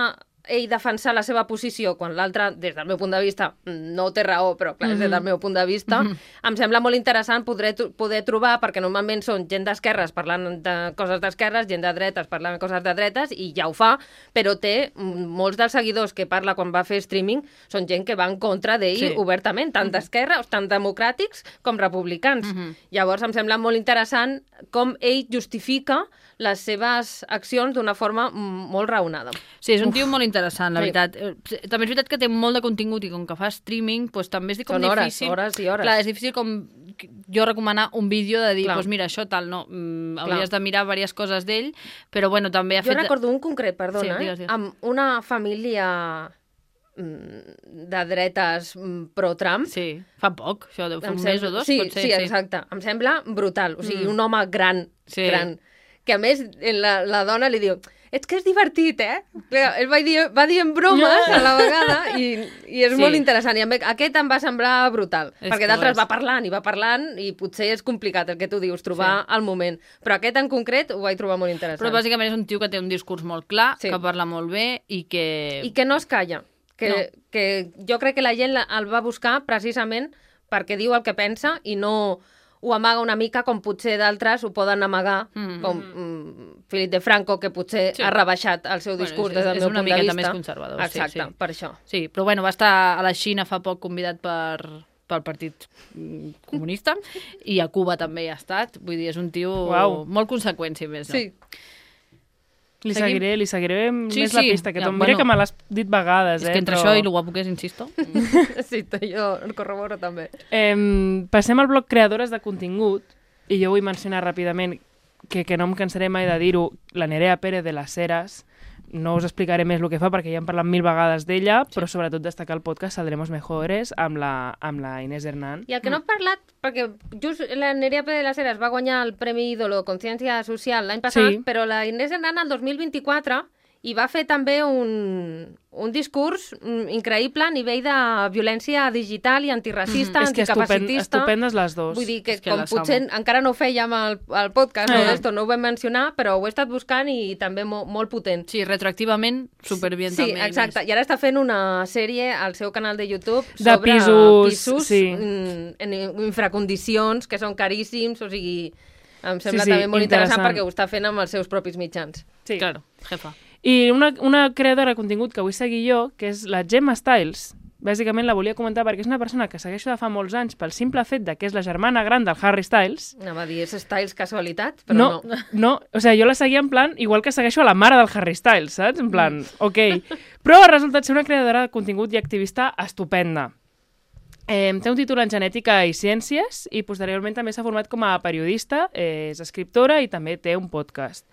ell defensar la seva posició quan l'altre, des del meu punt de vista, no té raó, però clar, mm -hmm. des del meu punt de vista, mm -hmm. em sembla molt interessant poder, poder trobar, perquè normalment són gent d'esquerres parlant de coses d'esquerres, gent de dretes parlant de coses de dretes, i ja ho fa, però té molts dels seguidors que parla quan va fer streaming, són gent que va en contra d'ell Sí. obertament, tant d'esquerra, tant democràtics com republicans. Mm -hmm. Llavors em sembla molt interessant com ell justifica les seves accions d'una forma molt raonada. Sí, és un tio molt interessant, la Sí. veritat. Eh, També és veritat que té molt de contingut i com que fa streaming, doncs també és com Són hores, difícil... hores i hores. Clar, és difícil com jo recomanar un vídeo de dir, Clar. doncs mira, això tal, no, mm, Clar. hauries de mirar diverses coses d'ell, però bueno, també ha Jo fet... recordo un concret, perdona, Sí, eh? digues, digues. amb una família mm, de dretes mm, pro-Trump. Sí, fa poc, això deu fer Em un sembla- mes o dos, sí, potser. sí, exacte. Em sembla brutal. O sigui, Mm. un home gran, Sí. gran, que a més la, la dona li diu és que és divertit, eh? Clar, ell va dir, va dir en bromes a la vegada i, i és Sí. molt interessant. I a mi- aquest em va semblar brutal, És perquè que ho d'altres és. va parlant i va parlant i potser és complicat el que tu dius, trobar el moment. Però aquest en concret ho vaig trobar molt interessant. Però bàsicament és un tio que té un discurs molt clar, Sí. que parla molt bé i que... I que no es calla. Que, No. que jo crec que la gent la- el va buscar precisament perquè diu el que pensa i no ho amaga una mica com potser d'altres ho poden amagar, Mm. com mm, Philip de Franco, que potser Sí. ha rebaixat el seu Bueno, discurs és- des del és meu una punt de miqueta vista. més conservador, sí, Exacte, sí. per això. Sí, però bueno, va estar a la Xina fa poc convidat per pel Partit mm, Comunista i a Cuba també hi ha estat. Vull dir, és un tio Uau. molt conseqüent, si més no. Sí. Li Seguim? seguiré, li seguiré Sí, més la sí. pista, que Ja, ja, mira bueno. que me l'has dit vegades, És eh? que entre però... això i lo guapo que és, insisto. Sí, jo el corroboro també. Eh, passem al bloc creadores de contingut, i jo vull mencionar ràpidament que, que no em cansaré mai de dir-ho, la Nerea Pérez de les Heras. No us explicaré més el que fa perquè ja hem parlat mil vegades d'ella, sí. però sobretot destacar el podcast Saldremos Mejores amb la, amb la Inés Hernán. I el que no he parlat, perquè just la Nerea Pérez de las Heras va guanyar el Premi Ídolo Consciència Social l'any passat, Sí. però la Inés Hernán el dos mil vint-i-quatre i va fer també un, un discurs mm, increïble a nivell de violència digital i antiracista, És que estupend, anticapacitista. estupendes les dues. Vull dir que, És que com les potser amo. encara no ho fèiem al, al podcast, no, Eh. d'esto, no ho vam mencionar, però ho he estat buscant i també mo, molt potent. Sí, retroactivament, superbien Sí, també. exacte. I ara està fent una sèrie al seu canal de YouTube De sobre pisos, pisos sí. mm, en infracondicions, que són caríssims, o sigui, em sembla sí, també molt interessant, interessant. perquè ho està fent amb els seus propis mitjans. Sí. Claro, jefa. I una, una creadora de contingut que vull seguir jo, que és la Gemma Styles. Bàsicament la volia comentar perquè és una persona que segueixo de fa molts anys pel simple fet de que és la germana gran del Harry Styles. Anava a dir, és Styles casualitat, però No, no. no, o sigui, jo la seguia en plan, igual que segueixo a la mare del Harry Styles, saps? En plan, ok. Però ha resultat ser una creadora de contingut i activista estupenda. Eh, té un títol en genètica i ciències i posteriorment també s'ha format com a periodista, eh, és escriptora i també té un podcast.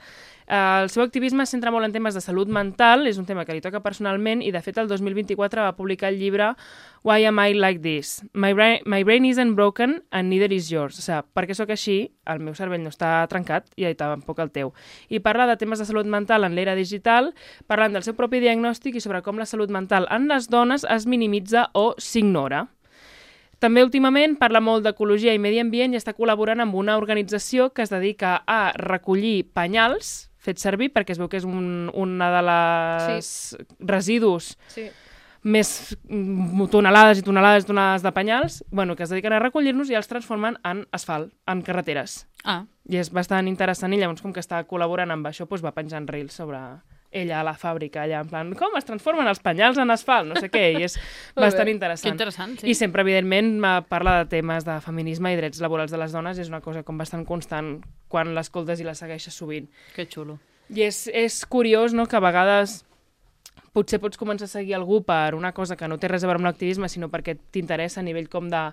Eh, el seu activisme es centra molt en temes de salut mental, és un tema que li toca personalment i de fet el dos mil vint-i-quatre va publicar el llibre Why Am I Like This? My brain, my brain isn't broken and neither is yours. O sigui, perquè sóc així, el meu cervell no està trencat i tampoc el teu. I parla de temes de salut mental en l'era digital, parlant del seu propi diagnòstic i sobre com la salut mental en les dones es minimitza o s'ignora. També últimament parla molt d'ecologia i medi ambient i està col·laborant amb una organització que es dedica a recollir penyals fets servir perquè es veu que és un, una de les sí. residus Sí. més tonelades i tonelades i tonelades de penyals, bueno, que es dediquen a recollir-nos i els transformen en asfalt, en carreteres. Ah. I és bastant interessant, i llavors, com que està col·laborant amb això, doncs va penjant reels sobre ella a la fàbrica, allà, en plan, com es transformen els penyals en asfalt, no sé què, i és bastant interessant. Que interessant, sí. I sempre, evidentment, parla de temes de feminisme i drets laborals de les dones, i és una cosa com bastant constant quan l'escoltes i la segueixes sovint. Que xulo. I és, és curiós, no?, que a vegades potser pots començar a seguir algú per una cosa que no té res a veure amb l'activisme, sinó perquè t'interessa a nivell com de...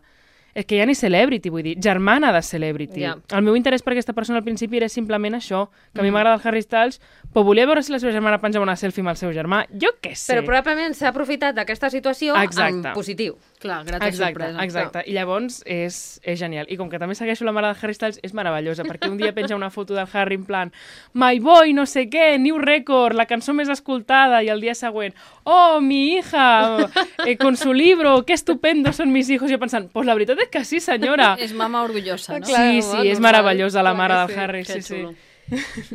És que ja ni celebrity, vull dir, germana de celebrity. Yeah. El meu interès per aquesta persona al principi era simplement això, que a mi m'agrada el Harry Styles, però volia veure si la seva germana penjava una selfie amb el seu germà. Jo què sé. Però probablement s'ha aprofitat d'aquesta situació Exacte. en positiu. Clar, grata Exacte, sorpresa. exacte. I llavors és, és genial. I com que també segueixo la mare de Harry Styles, és meravellosa, perquè un dia penja una foto del Harry en plan My Boy, no sé què, New Record, la cançó més escoltada, i el dia següent oh, mi hija, eh, con su libro, qué estupendo son mis hijos. I jo pensant, pues la veritat és que sí, senyora. És mama orgullosa, no? Clar, Sí, home, sí, és normal. meravellosa la Clar mare que del sí. Harry, Que sí, xulo. sí.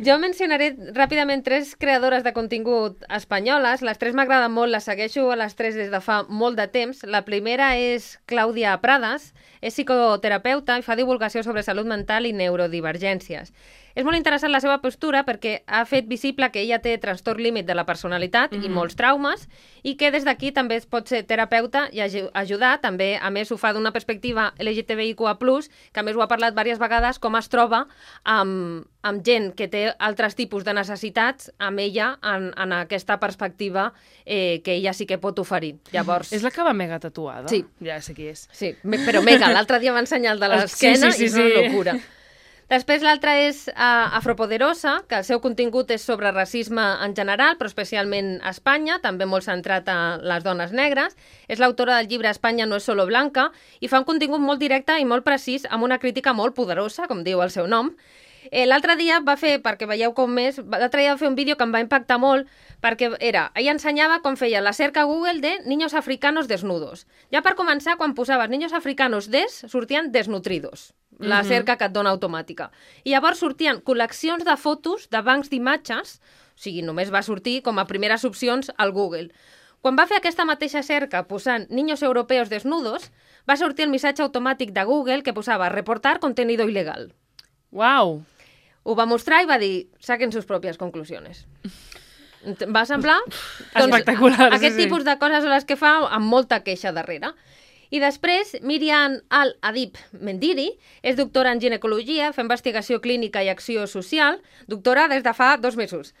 Jo mencionaré ràpidament tres creadores de contingut espanyoles. Les tres m'agraden molt, les segueixo a les tres des de fa molt de temps. La primera és Clàudia Prades, és psicoterapeuta i fa divulgació sobre salut mental i neurodivergències. És molt interessant la seva postura perquè ha fet visible que ella té trastorn límit de la personalitat mm-hmm. i molts traumes, i que des d'aquí també es pot ser terapeuta i ajudar. També, a més, ho fa d'una perspectiva L G T B I Q A plus, que a més ho ha parlat diverses vegades, com es troba amb, amb gent que té altres tipus de necessitats amb ella en, en aquesta perspectiva eh, que ella sí que pot oferir. Llavors... És la que va mega tatuada? Sí. Ja sé qui és. Sí, me- però mega, l'altre dia va ensenyar el de l'esquena Sí, sí, sí, i és una sí. locura. Després l'altra és uh, Afropoderosa, que el seu contingut és sobre racisme en general, però especialment a Espanya, també molt centrat en les dones negres. És l'autora del llibre Espanya no és solo blanca i fa un contingut molt directe i molt precís, amb una crítica molt poderosa, com diu el seu nom. Eh, l'altre dia va fer, perquè veieu com més, l'altre dia va fer un vídeo que em va impactar molt, perquè era, ella ensenyava com feia la cerca a Google de niños africanos desnudos. Ja per començar, quan posaves niños africanos des, sortien desnutridos, la cerca que et dona automàtica. I llavors sortien col·leccions de fotos de bancs d'imatges, o sigui, només va sortir com a primeres opcions al Google. Quan va fer aquesta mateixa cerca posant niños europeos desnudos, va sortir el missatge automàtic de Google que posava reportar contenido ilegal. Uau! Ho va mostrar i va dir, saquen sus pròpies conclusions. Va semblar? Espectacular, sí, Aquest sí. tipus de coses són les que fa amb molta queixa darrere. I després, Miriam Al-Adib Mendiri és doctora en ginecologia, fa investigació clínica i acció social, doctora des de fa dos mesos.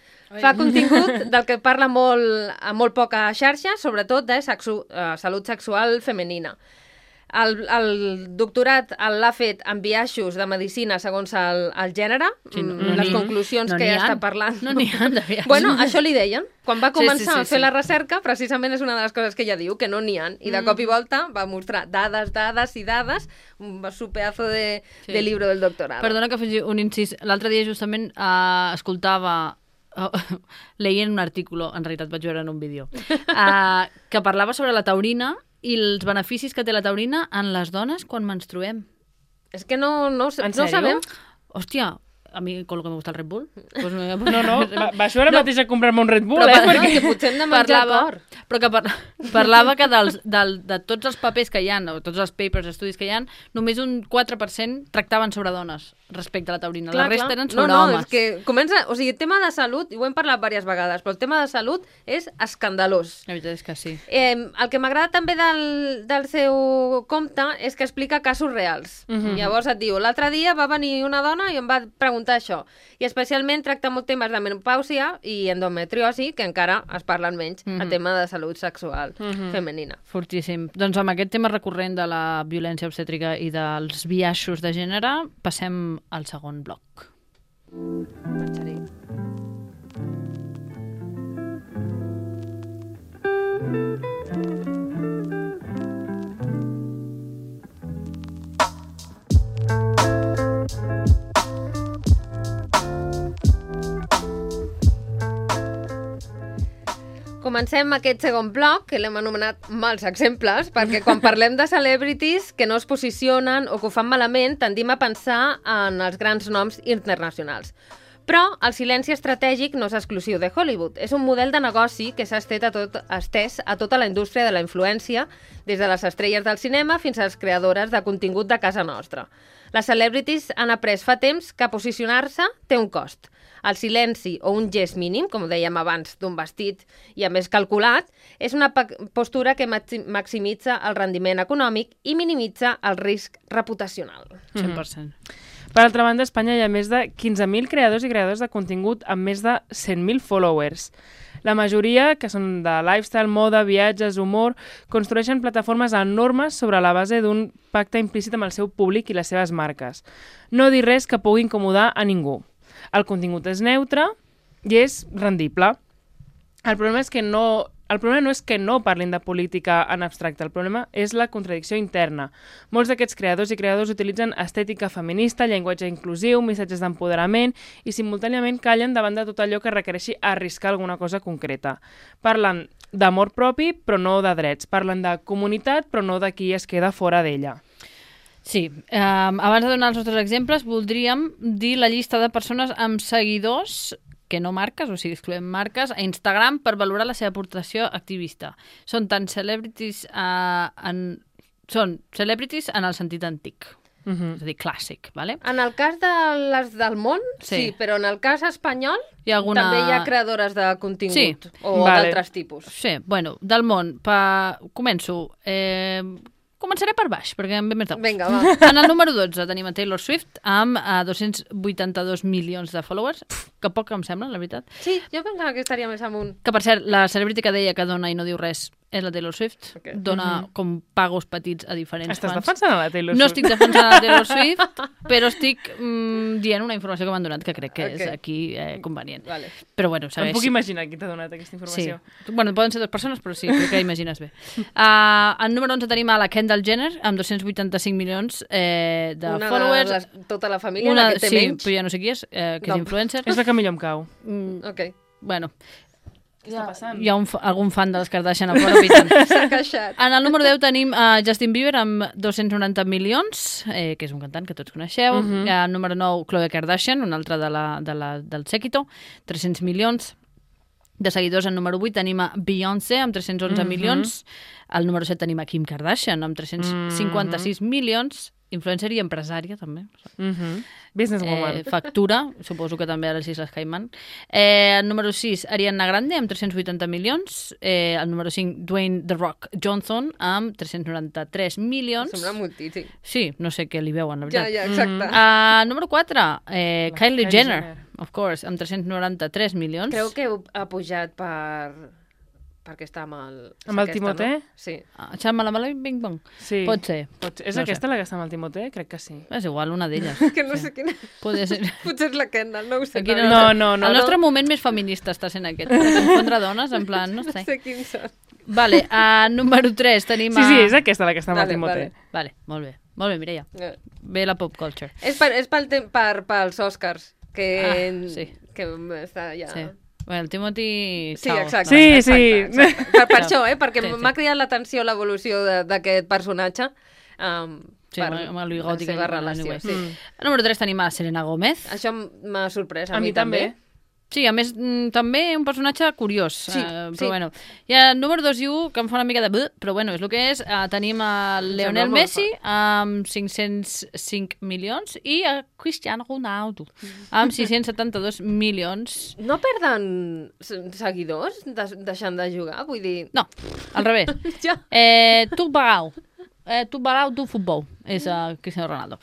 Fa contingut del que parla molt, a molt poca xarxa, sobretot de sexu, uh, salut sexual femenina. El, el doctorat l'ha fet en biaixos de medicina segons el, el gènere, Sí, no, mm, no les n'hi- conclusions no que n'hi ja ha. està parlant. No n'hi ha de biaixos. Bueno, això li deien. Quan va Sí, començar sí, sí, a fer sí. la recerca, precisament és una de les coses que ella diu, que no n'hi ha. I de Mm. cop i volta va mostrar dades, dades i dades, un su pedazo de, Sí. de libro del doctorado. Perdona que faci un incís. L'altre dia justament uh, escoltava, uh, leient un article, en realitat vaig veure en un vídeo, uh, que parlava sobre la taurina i els beneficis que té la taurina en les dones quan menstruem. És que no, no, En no sèrio? sabem. Hòstia, a mi con lo que me gusta el Red Bull. Pues me... No, no, va, va això ara No. mateix a comprar-me un Red Bull, Però eh? per- Perquè... que potser hem de menjar cor. Però que par parlava que dels, del, de tots els papers que hi ha, o tots els papers, estudis que hi ha, només un quatre per cent tractaven sobre dones respecte a la taurina. Clar, la resta clar. eren no, sobre no, homes. és que comença... O sigui, el tema de salut, i ho hem parlat diverses vegades, però el tema de salut és escandalós. La veritat és que sí. Eh, el que m'agrada també del, del seu compte és que explica casos reals. Mhm. Llavors et diu, l'altre dia va venir una dona i em va preguntar això. I especialment tracta molt temes de menopàusia i endometriosi, que encara es parlen menys, Mhm. a tema de salut sexual Mhm. femenina. Fortíssim. Doncs amb aquest tema recurrent de la violència obstètrica i dels biaixos de gènere, passem al segon bloc. Marxaré. Comencem aquest segon bloc, que l'hem anomenat mals exemples, perquè quan parlem de celebrities que no es posicionen o que ho fan malament, tendim a pensar en els grans noms internacionals. Però el silenci estratègic no és exclusiu de Hollywood. És un model de negoci que s'ha estès a, tot, estès a tota la indústria de la influència, des de les estrelles del cinema fins a les creadores de contingut de casa nostra. Les celebrities han après fa temps que posicionar-se té un cost. El silenci o un gest mínim, com dèiem abans, d'un vestit i a més calculat, és una postura que maximitza el rendiment econòmic i minimitza el risc reputacional. cent per cent. Per altra banda, a Espanya hi ha més de quinze mil creadors i creadors de contingut amb més de cent mil followers. La majoria, que són de lifestyle, moda, viatges, humor, construeixen plataformes enormes sobre la base d'un pacte implícit amb el seu públic i les seves marques. No dir res que pugui incomodar a ningú. El contingut és neutre i és rendible. El problema és que no... El problema no és que no parlin de política en abstracte, el problema és la contradicció interna. Molts d'aquests creadors i creadors utilitzen estètica feminista, llenguatge inclusiu, missatges d'empoderament i simultàniament callen davant de tot allò que requereixi arriscar alguna cosa concreta. Parlen d'amor propi, però no de drets. Parlen de comunitat, però no de qui es queda fora d'ella. Sí, eh, abans de donar els nostres exemples, voldríem dir la llista de persones amb seguidors que no marques, o sigui, excloem marques, a Instagram per valorar la seva aportació activista. Són tant celebrities, eh, en... són celebrities en el sentit antic, uh-huh. És a dir, clàssic, ¿vale? En el cas de les del món, sí, sí, però en el cas espanyol hi ha alguna... també hi ha creadores de contingut, sí, o vale. D'altres tipus. Sí, bueno, del món, pa... començo... Eh... Començaré per baix, perquè em ve més de gust. Vinga, va. En el número dotze tenim a Taylor Swift amb uh, dos-cents vuitanta-dos milions de followers, que poc em sembla, la veritat. Sí, jo pensava que estaria més amunt. Que, per cert, la celebrity que deia que dona i no diu res és la Taylor Swift. Okay. Dona mm-hmm. com pagos petits a diferents Estàs fans. Estàs defensant a la Taylor Swift? No estic defensant a la Taylor Swift, però estic mm, dient una informació que m'han donat que crec que okay. és aquí eh, convenient. Vale. Però bueno, segueix. Em puc imaginar qui t'ha donat aquesta informació. Sí. Bueno, poden ser dues persones, però sí, crec que imagines bé. Uh, en número onze tenim a la Kendall Jenner, amb dos-cents vuitanta-cinc milions eh, de una followers. Una de les, tota la família, una, la que té sí, menys. Sí, però ja no sé qui és, eh, que no. És influencer. És la que millor em cau. Mm, ok. Bueno. Què està passant? Hi ha un, algun fan de les Kardashian a fora pitant. S'ha queixat. En el número deu tenim uh, Justin Bieber amb dos-cents noranta milions, eh, que és un cantant que tots coneixeu. Uh-huh. En el número nou, Khloe Kardashian, una altra de la, de la, del séquito, tres-cents milions. De seguidors, en número vuit tenim a Beyoncé amb tres-cents onze uh-huh. milions. Al número set tenim a Kim Kardashian amb tres-cents cinquanta-sis uh-huh. milions. Influencer i empresària, també. Uh-huh. Businesswoman. Eh, factura, suposo que també a les Isles Cayman. Eh, el número sis, Ariana Grande, amb tres-cents vuitanta milions. Eh, el número cinc, Dwayne The Rock Johnson, amb tres-cents noranta-tres milions. Sembla moltíssim. Sí, no sé què li veuen, la veritat. Ja, ja, exacte. Mm-hmm. Uh, número quatre, eh, Kylie, Kylie Jenner, Jenner, of course, amb tres-cents noranta-tres milions. Creu que ha pujat per... perquè està amb el... Amb el Timothé? No? Sí. Ah, Xama la mala bing bong? Sí. Pot ser. Pot ser. És no aquesta sé. La que està amb el Timothé? Crec que sí. És igual, una d'elles. que no sí. sé quina... Podria ser. Potser és la Kendall, no ho sé. Aquí no, no, no, no. El nostre no. moment més feminista està sent aquest. Per confondre dones, en plan, no sé. No sé quins són. Vale, a número tres tenim a... Sí, sí, és aquesta la que està amb vale, el Timothé. Vale. vale, molt bé. Molt bé, Mireia. Bé la pop culture. És, per, és pel, per, pels Oscars, que, ah, sí. que està ja... Sí. Bueno, el Timothy... Sí, exacte. Sí, exacte, sí. Exacte. Per, per això, eh? Perquè sí, sí. m'ha cridat l'atenció l'evolució d'aquest personatge um, sí, per amb el bigoti la seva relació. Sí. Mm. A número tres tenim a Selena Gómez. Això m'ha sorprès, a, a mi, mi també. també. Sí, a més, també un personatge curiós. Sí, uh, però sí. bueno. I el número dos i u, que em fa una mica de... Però bueno, és el que és. Uh, tenim a Lionel Messi amb cinc-cents cinc milions i a Cristiano Ronaldo amb sis-cents setanta-dos milions. No perden seguidors de, deixant de jugar? Vull dir... No, al revés. ja. Eh, tu Barau. Eh, tu Barau du futbol. És a Cristiano Ronaldo.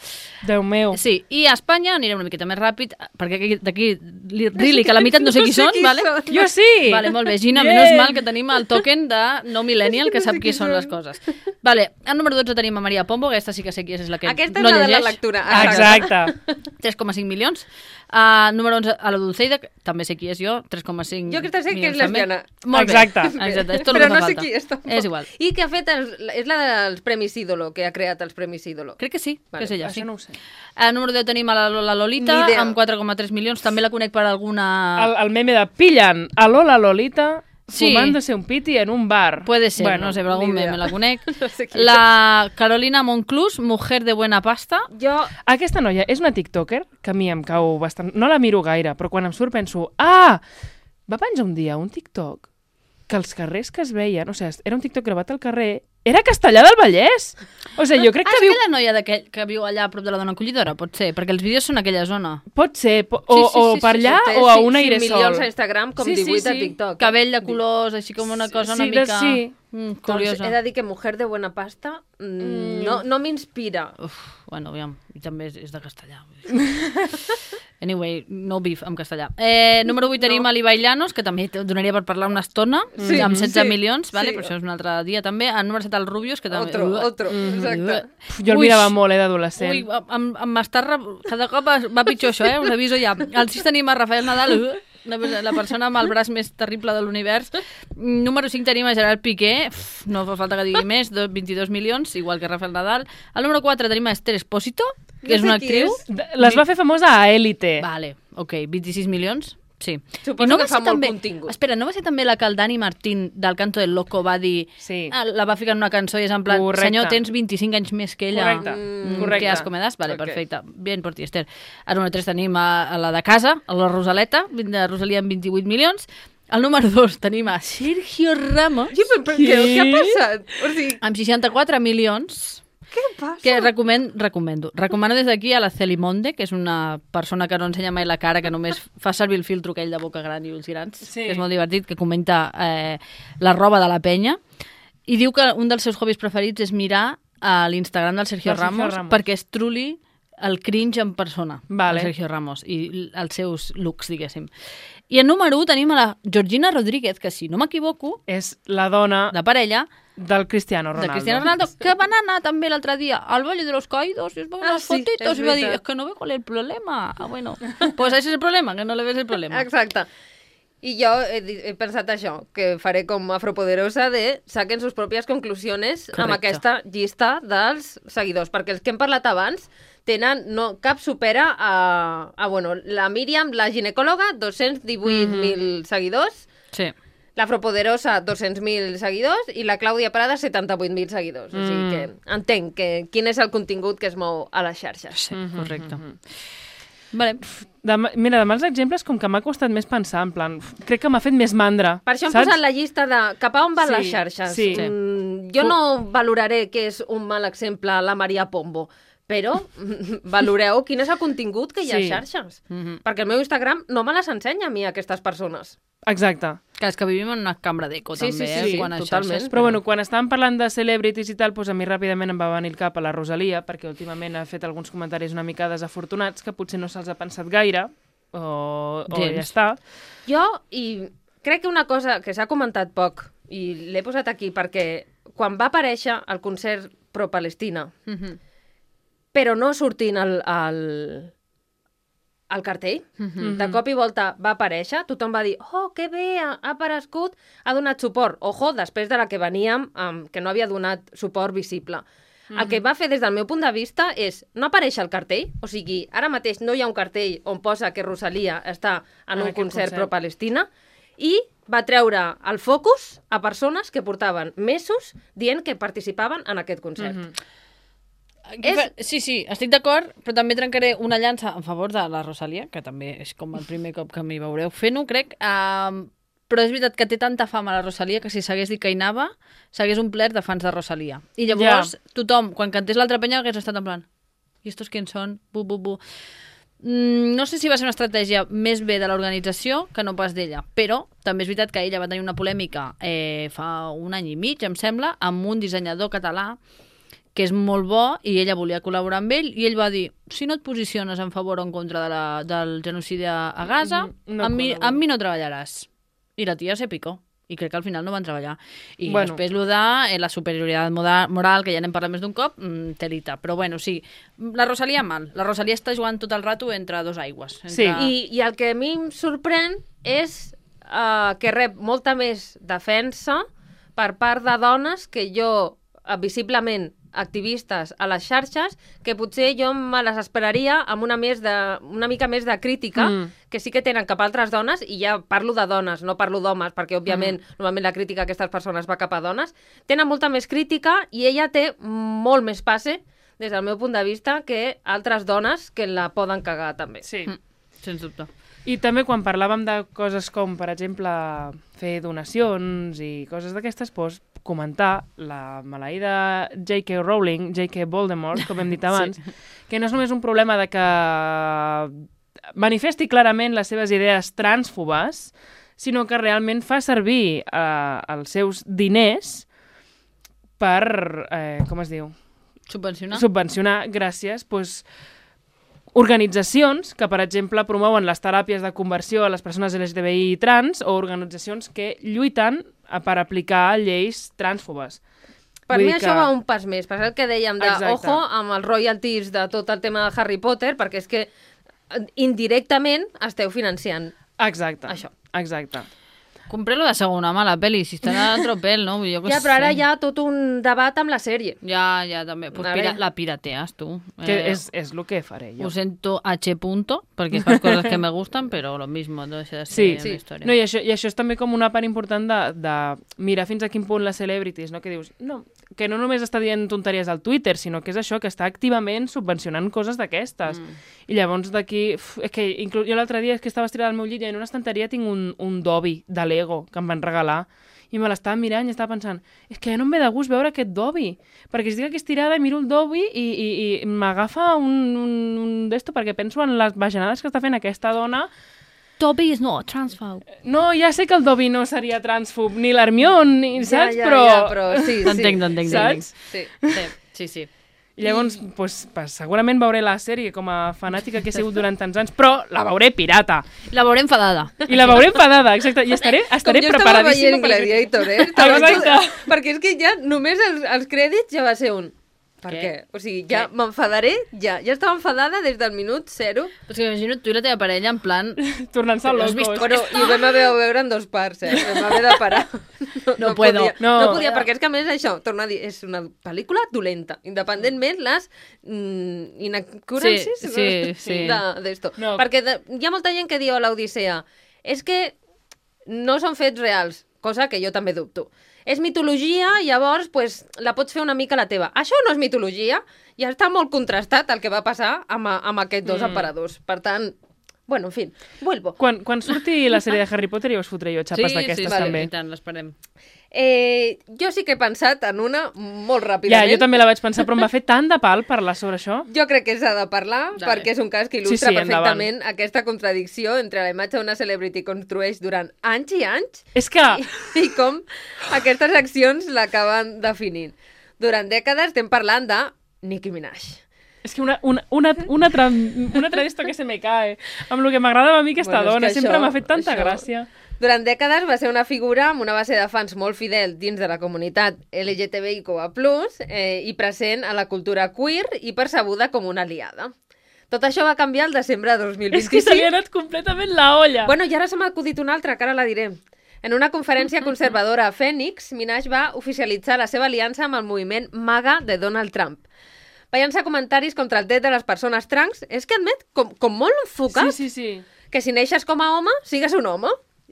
Déu meu. Sí, i a Espanya anirem una miqueta més ràpid, perquè d'aquí, really, que la meitat no sé qui no sé són, qui vale? són. Jo sí! Vale, molt bé, Gina, yeah. Menos mal que tenim el token de no millennial, que no sé sap qui, qui són són les coses. Vale, al número dotze tenim a Maria Pombo, aquesta sí que sé qui és, és la que Aquesta no és la llegeix. de la lectura. Exacte. tres coma cinc milions. Uh, número onze, a la Dulceida, també sé qui és jo, tres coma cinc Jo crec que sé que és també. lesbiana. Molt Exacte. bé. Exacte. És tot Però el que no fa sé falta. qui és, tampoc. És igual. I que ha fet, els, és la dels Premis Ídolo, que ha creat els Premis Ídolo. Crec que sí, Vale, que és ella, sí. Això no ho sé. A número deu tenim a la, la Lolita, amb quatre coma tres milions, també la conec per alguna... El, el meme de pillen a Lola Lolita Sí. fumándose un piti en un bar. Puede ser, Bueno, no sé, però algun ni idea. meme la conec. No sé qui La Carolina Monclús, mujer de buena pasta. Jo, Aquesta noia és una tiktoker que a mi em cau bastant... No la miro gaire, però quan em surt penso... Ah! Va penjar un dia un TikTok que els carrers que es veien... O sigui, era un TikTok gravat al carrer... Era Castellà del Vallès! O sigui, jo crec Ah, que és viu... aquella noia d'aquell que viu allà a prop de la dona acollidora? Pot ser, perquè els vídeos són a aquella zona. Pot ser, po o, Sí, sí, o sí, per sí, allà té o a cinc- un cinc airesol. milions a Instagram, com Sí, sí, divuit a sí. TikTok. Cabell de colors, així com una cosa Sí, una de- mica... sí. Mm, Doncs curiosa. he de dir que Mujer de Buena Pasta mm, Mm. no, no m'inspira. Uf, bueno, aviam, i també és, és de castellà. vull dir. Anyway, no beef amb castellà. Eh, número vuit tenim No. no. l'Ibai Llanos, que també te donaria per parlar una estona, Sí, amb setze sí, milions, vale? sí. però això és un altre dia també. El número set, el Rubius, que també... Otro, otro, exacte. Pf, Jo el Ui, mirava molt, eh, d'adolescent. Ui, em, em està... Re... Cada cop va pitjor això, eh? Us aviso ja. Al sis tenim a Rafael Nadal, uh, la, la persona amb el braç més terrible de l'univers. Número cinc tenim a Gerard Piqué, Uf, no fa falta que digui més, do- vint-i-dos milions, igual que Rafael Nadal. Al número quatre tenim a Esther Espósito, que No és sé una qui actriu. és. De- Les va fer famosa a Élite. Vale, ok, vint-i-sis milions. Sí. Suposo I no que va fa ser molt també... contingut. Espera, no va ser també la que el Dani Martín del Canto del Loco va dir... Sí. Ah, la va ficar en una cançó i és en plan, Correcte. senyor, tens vint-i-cinc anys més que ella. Correcte, Mm, correcte. Que asco me das? Vale, Ok. perfecte. Bien por ti, Esther. Al número tres tenim a, a la de casa, a la Rosaleta, de Rosalia amb vint-i-vuit milions. Al número dos tenim a Sergio Ramos, Sí, però, però què, què ha passat? O sigui, amb seixanta-quatre milions. què passa? Que recomen, recomendo. Recomano des d'aquí a la Celimonde, que és una persona que no ensenya mai la cara, que només fa servir el filtro aquell de boca gran i ulls grans, Sí. que és molt divertit, que comenta eh, la roba de la penya, i diu que un dels seus hobbies preferits és mirar a l'Instagram del Sergio, Del Sergio Ramos, Ramos. perquè és truly el cringe en persona, Vale. el Sergio Ramos, i els seus looks, diguéssim. I en número un tenim a la Georgina Rodríguez, que si no m'equivoco, És la dona de parella, del Cristiano Ronaldo. de Cristiano Ronaldo, que van anar també l'altre dia al Valle de los Caídos i es va Ah, unas sí, fotitos és i va dir, veritat. es que no veo cuál es el problema. Ah, bueno, pues ese es el problema, que no le ves el problema. Exacte. I jo he, di- he pensat això, que faré com afropoderosa de saquen sus pròpies conclusions Correcte. amb aquesta llista dels seguidors, perquè els que hem parlat abans tenen, no, cap supera a, a bueno, la Míriam, la ginecòloga, dos-cents divuit mil seguidors, Sí. l'Afropoderosa, dos-cents mil seguidors, i la Clàudia Prada, setanta-vuit mil seguidors. O sigui que entenc que quin és el contingut que es mou a les xarxes. Sí, correcte. Vale. De, mira, de mals exemples, com que m'ha costat més pensar, en plan, uf, crec que m'ha fet més mandra. Per això hem saps? posat la llista de cap a on van Sí, les xarxes. sí. Mm, jo no valoraré que és un mal exemple la Maria Pombo, però valoreu quin és el contingut que hi ha Sí. a xarxes. Mhm. Perquè el meu Instagram no me les ensenya a mi, aquestes persones. Exacte. Que és que vivim en una cambra d'eco, Sí, també, sí, eh? sí, quan a totalment. xarxes, Però bueno, quan estàvem parlant de celebrities i tal, doncs a mi ràpidament em va venir el cap a la Rosalia, perquè últimament ha fet alguns comentaris una mica desafortunats que potser no se'ls ha pensat gaire, o, o Gens. ja està. Jo, i crec que una cosa que s'ha comentat poc, i l'he posat aquí perquè quan va aparèixer el concert pro-Palestina, Mhm. però no sortint al, al, al cartell, Mhm. de cop i volta va aparèixer, tothom va dir, oh, que bé, ha, ha aparegut, ha donat suport. Ojo, després de la que veníem, um, que no havia donat suport visible. El que va fer des del meu punt de vista és no aparèixer al cartell, o sigui, ara mateix no hi ha un cartell on posa que Rosalia està en En un aquest concert concert. pro-Palestina, i va treure el focus a persones que portaven mesos dient que participaven en aquest concert. Mhm. Aquí fa- Sí, sí, estic d'acord, però també trencaré una llança en favor de la Rosalia, que també és com el primer cop que m'hi veureu fent-ho, crec. Um, però és veritat que té tanta fama la Rosalia que si s'hagués dit que hi anava, s'hagués omplert de fans de Rosalia. I llavors, Ja. tothom, quan cantés l'altra penya, hagués estat en plan i estos quién són? Bu, bu, bu. Mm, no sé si va ser una estratègia més bé de l'organització que no pas d'ella, però també és veritat que ella va tenir una polèmica eh, fa un any i mig, em sembla, amb un dissenyador català que és molt bo i ella volia col·laborar amb ell i ell va dir, si no et posiciones en favor o en contra de la, del genocidi a a Gaza, Mm, no amb, mi, col·laboro. amb mi no treballaràs. I la tia se picó. I crec que al final no van treballar. I Bueno. després lo de eh, la superioritat moda- moral, que ja n'hem parlat més d'un cop, mm, telita. Però bueno, sí, la Rosalia mal. La Rosalia està jugant tot el rato entre dos aigües. Entre... Sí. I, I el que a mi em sorprèn és uh, que rep molta més defensa per part de dones que jo uh, visiblement activistes a les xarxes que potser jo me les esperaria amb una, més de, una mica més de crítica mm. que sí que tenen cap a altres dones, i ja parlo de dones, no parlo d'homes, perquè òbviament mm. normalment la crítica a aquestes persones va cap a dones, tenen molta més crítica i ella té molt més passe des del meu punt de vista que altres dones que la poden cagar també. Sí. Mm. Sens dubte. I també quan parlàvem de coses com, per exemple, fer donacions i coses d'aquestes, doncs, comentar la maleïda J K Rowling, J K Voldemort, com hem dit abans, sí. que no és només un problema de que manifesti clarament les seves idees transfobes, sinó que realment fa servir eh, els seus diners per, eh, com es diu? Subvencionar. Subvencionar, gràcies, doncs, organitzacions que, per exemple, promouen les teràpies de conversió a les persones L G T B I trans o organitzacions que lluiten per aplicar lleis transfobes. Per Vull mi dir això que... va un pas més, per el que dèiem de Exacte. ojo amb els royalties de tot el tema de Harry Potter, perquè és que indirectament esteu financiant Exacte, això. exacte. Compré-lo de segona mà, la pel·li, si està de tropel, no? Jo que Ja, però ara sé. hi ha tot un debat amb la sèrie. Ja, ja, també. Pues Ara pira, ja. la pirateas, tu. Que Eh, és, és el que faré jo. Ho sento, H punto, perquè fas coses que me gustan, però lo mismo, no deixa de ser Sí, una sí. història. No, i, això, I això és també com una part important de, de mirar fins a quin punt les celebrities, no? Que dius, no, que no només està dient tonteries al Twitter, sinó que és això, que està activament subvencionant coses d'aquestes. Mm. I llavors d'aquí... uf, És que inclús jo l'altre dia és que estava estirada al meu llit i en una estanteria tinc un, un Dobby de Lego que em van regalar i me l'estava mirant i estava pensant és que ja no em ve de gust veure aquest Dobby, perquè estic aquí estirada i miro el Dobby i, i, i m'agafa un, un, un d'esto perquè penso en les bajanades que està fent aquesta dona. Dobby is not transphobe. No, ja sé que el Dobby no seria transfob, ni l'Hermione, ni, saps? Ja, ja, però... ja, però sí, sí. T'entenc, t'entenc. Saps? Sí. Sí, sí, sí. I llavors, pues, pues, segurament veuré la sèrie com a fanàtica que he sigut durant tants anys, però la veuré pirata. La veuré enfadada. I la veuré enfadada, exacte. I estaré, estaré Com jo estava preparadíssima. veient Gladiator, eh? Estava Exacte. tot... Perquè és que ja només els, els crèdits ja va ser un... Per Què? què? O sigui, ja Què? m'enfadaré, ja. Ja estava enfadada des del minut zero. Però és que imagino tu i la teva parella en plan... Tornant-se Però has vist locos. Bueno, i ho vam haver de veure en dos parts, eh? Vam haver de parar. No, No puedo. Podia, No. no podia, perquè és que a més això, torna a dir, és una pel·lícula dolenta, independentment les mm, inaccuracies Sí, sí, sí. d'esto. No. Perquè de, hi ha molta gent que diu a l'Odissea és que no són fets reals, cosa que jo també dubto. És mitologia, llavors pues, la pots fer una mica la teva. Això no és mitologia, i està molt contrastat el que va passar amb, amb aquests dos Mm. aparadors. Per tant, bueno, en fi, vuelvo. Quan, quan surti la sèrie de Harry Potter ja us fotré jo xapes sí, d'aquestes sí, sí, també. i tant, l'esperem. Eh, jo sí que he pensat en una molt Ja, ràpidament. jo també la vaig pensar, però em va fer tant de pal parlar sobre això. Jo crec que s'ha de parlar, Dale. perquè és un cas que Sí, il·lustra sí, perfectament aquesta contradicció entre la imatge d'una celebrity que construeix durant anys i anys És que... i, i com aquestes accions l'acaben definint. Durant dècades estem parlant de Nicki Minaj. És que una, una, una, una, altra, una altra d'esto que se me cae. Amb el que m'agradava a mi aquesta Bueno, és dona. que Sempre això- m'ha fet tanta això- gràcia. Durant dècades va ser una figura amb una base de fans molt fidel dins de la comunitat L G T B I Q A plus, eh, i present a la cultura queer i percebuda com una aliada. Tot això va canviar el desembre de dos mil És que se li vint-i-cinc. ha anat completament la olla. Bueno, i ara se m'ha acudit una altra, que ara la diré. En una conferència conservadora a Phoenix, Minaj va oficialitzar la seva aliança amb el moviment MAGA de Donald Trump. Va llançar comentaris contra el dret de les persones trans, és que admet, com, com molt enfocat, Sí, sí, sí. que si neixes com a home, sigues un home,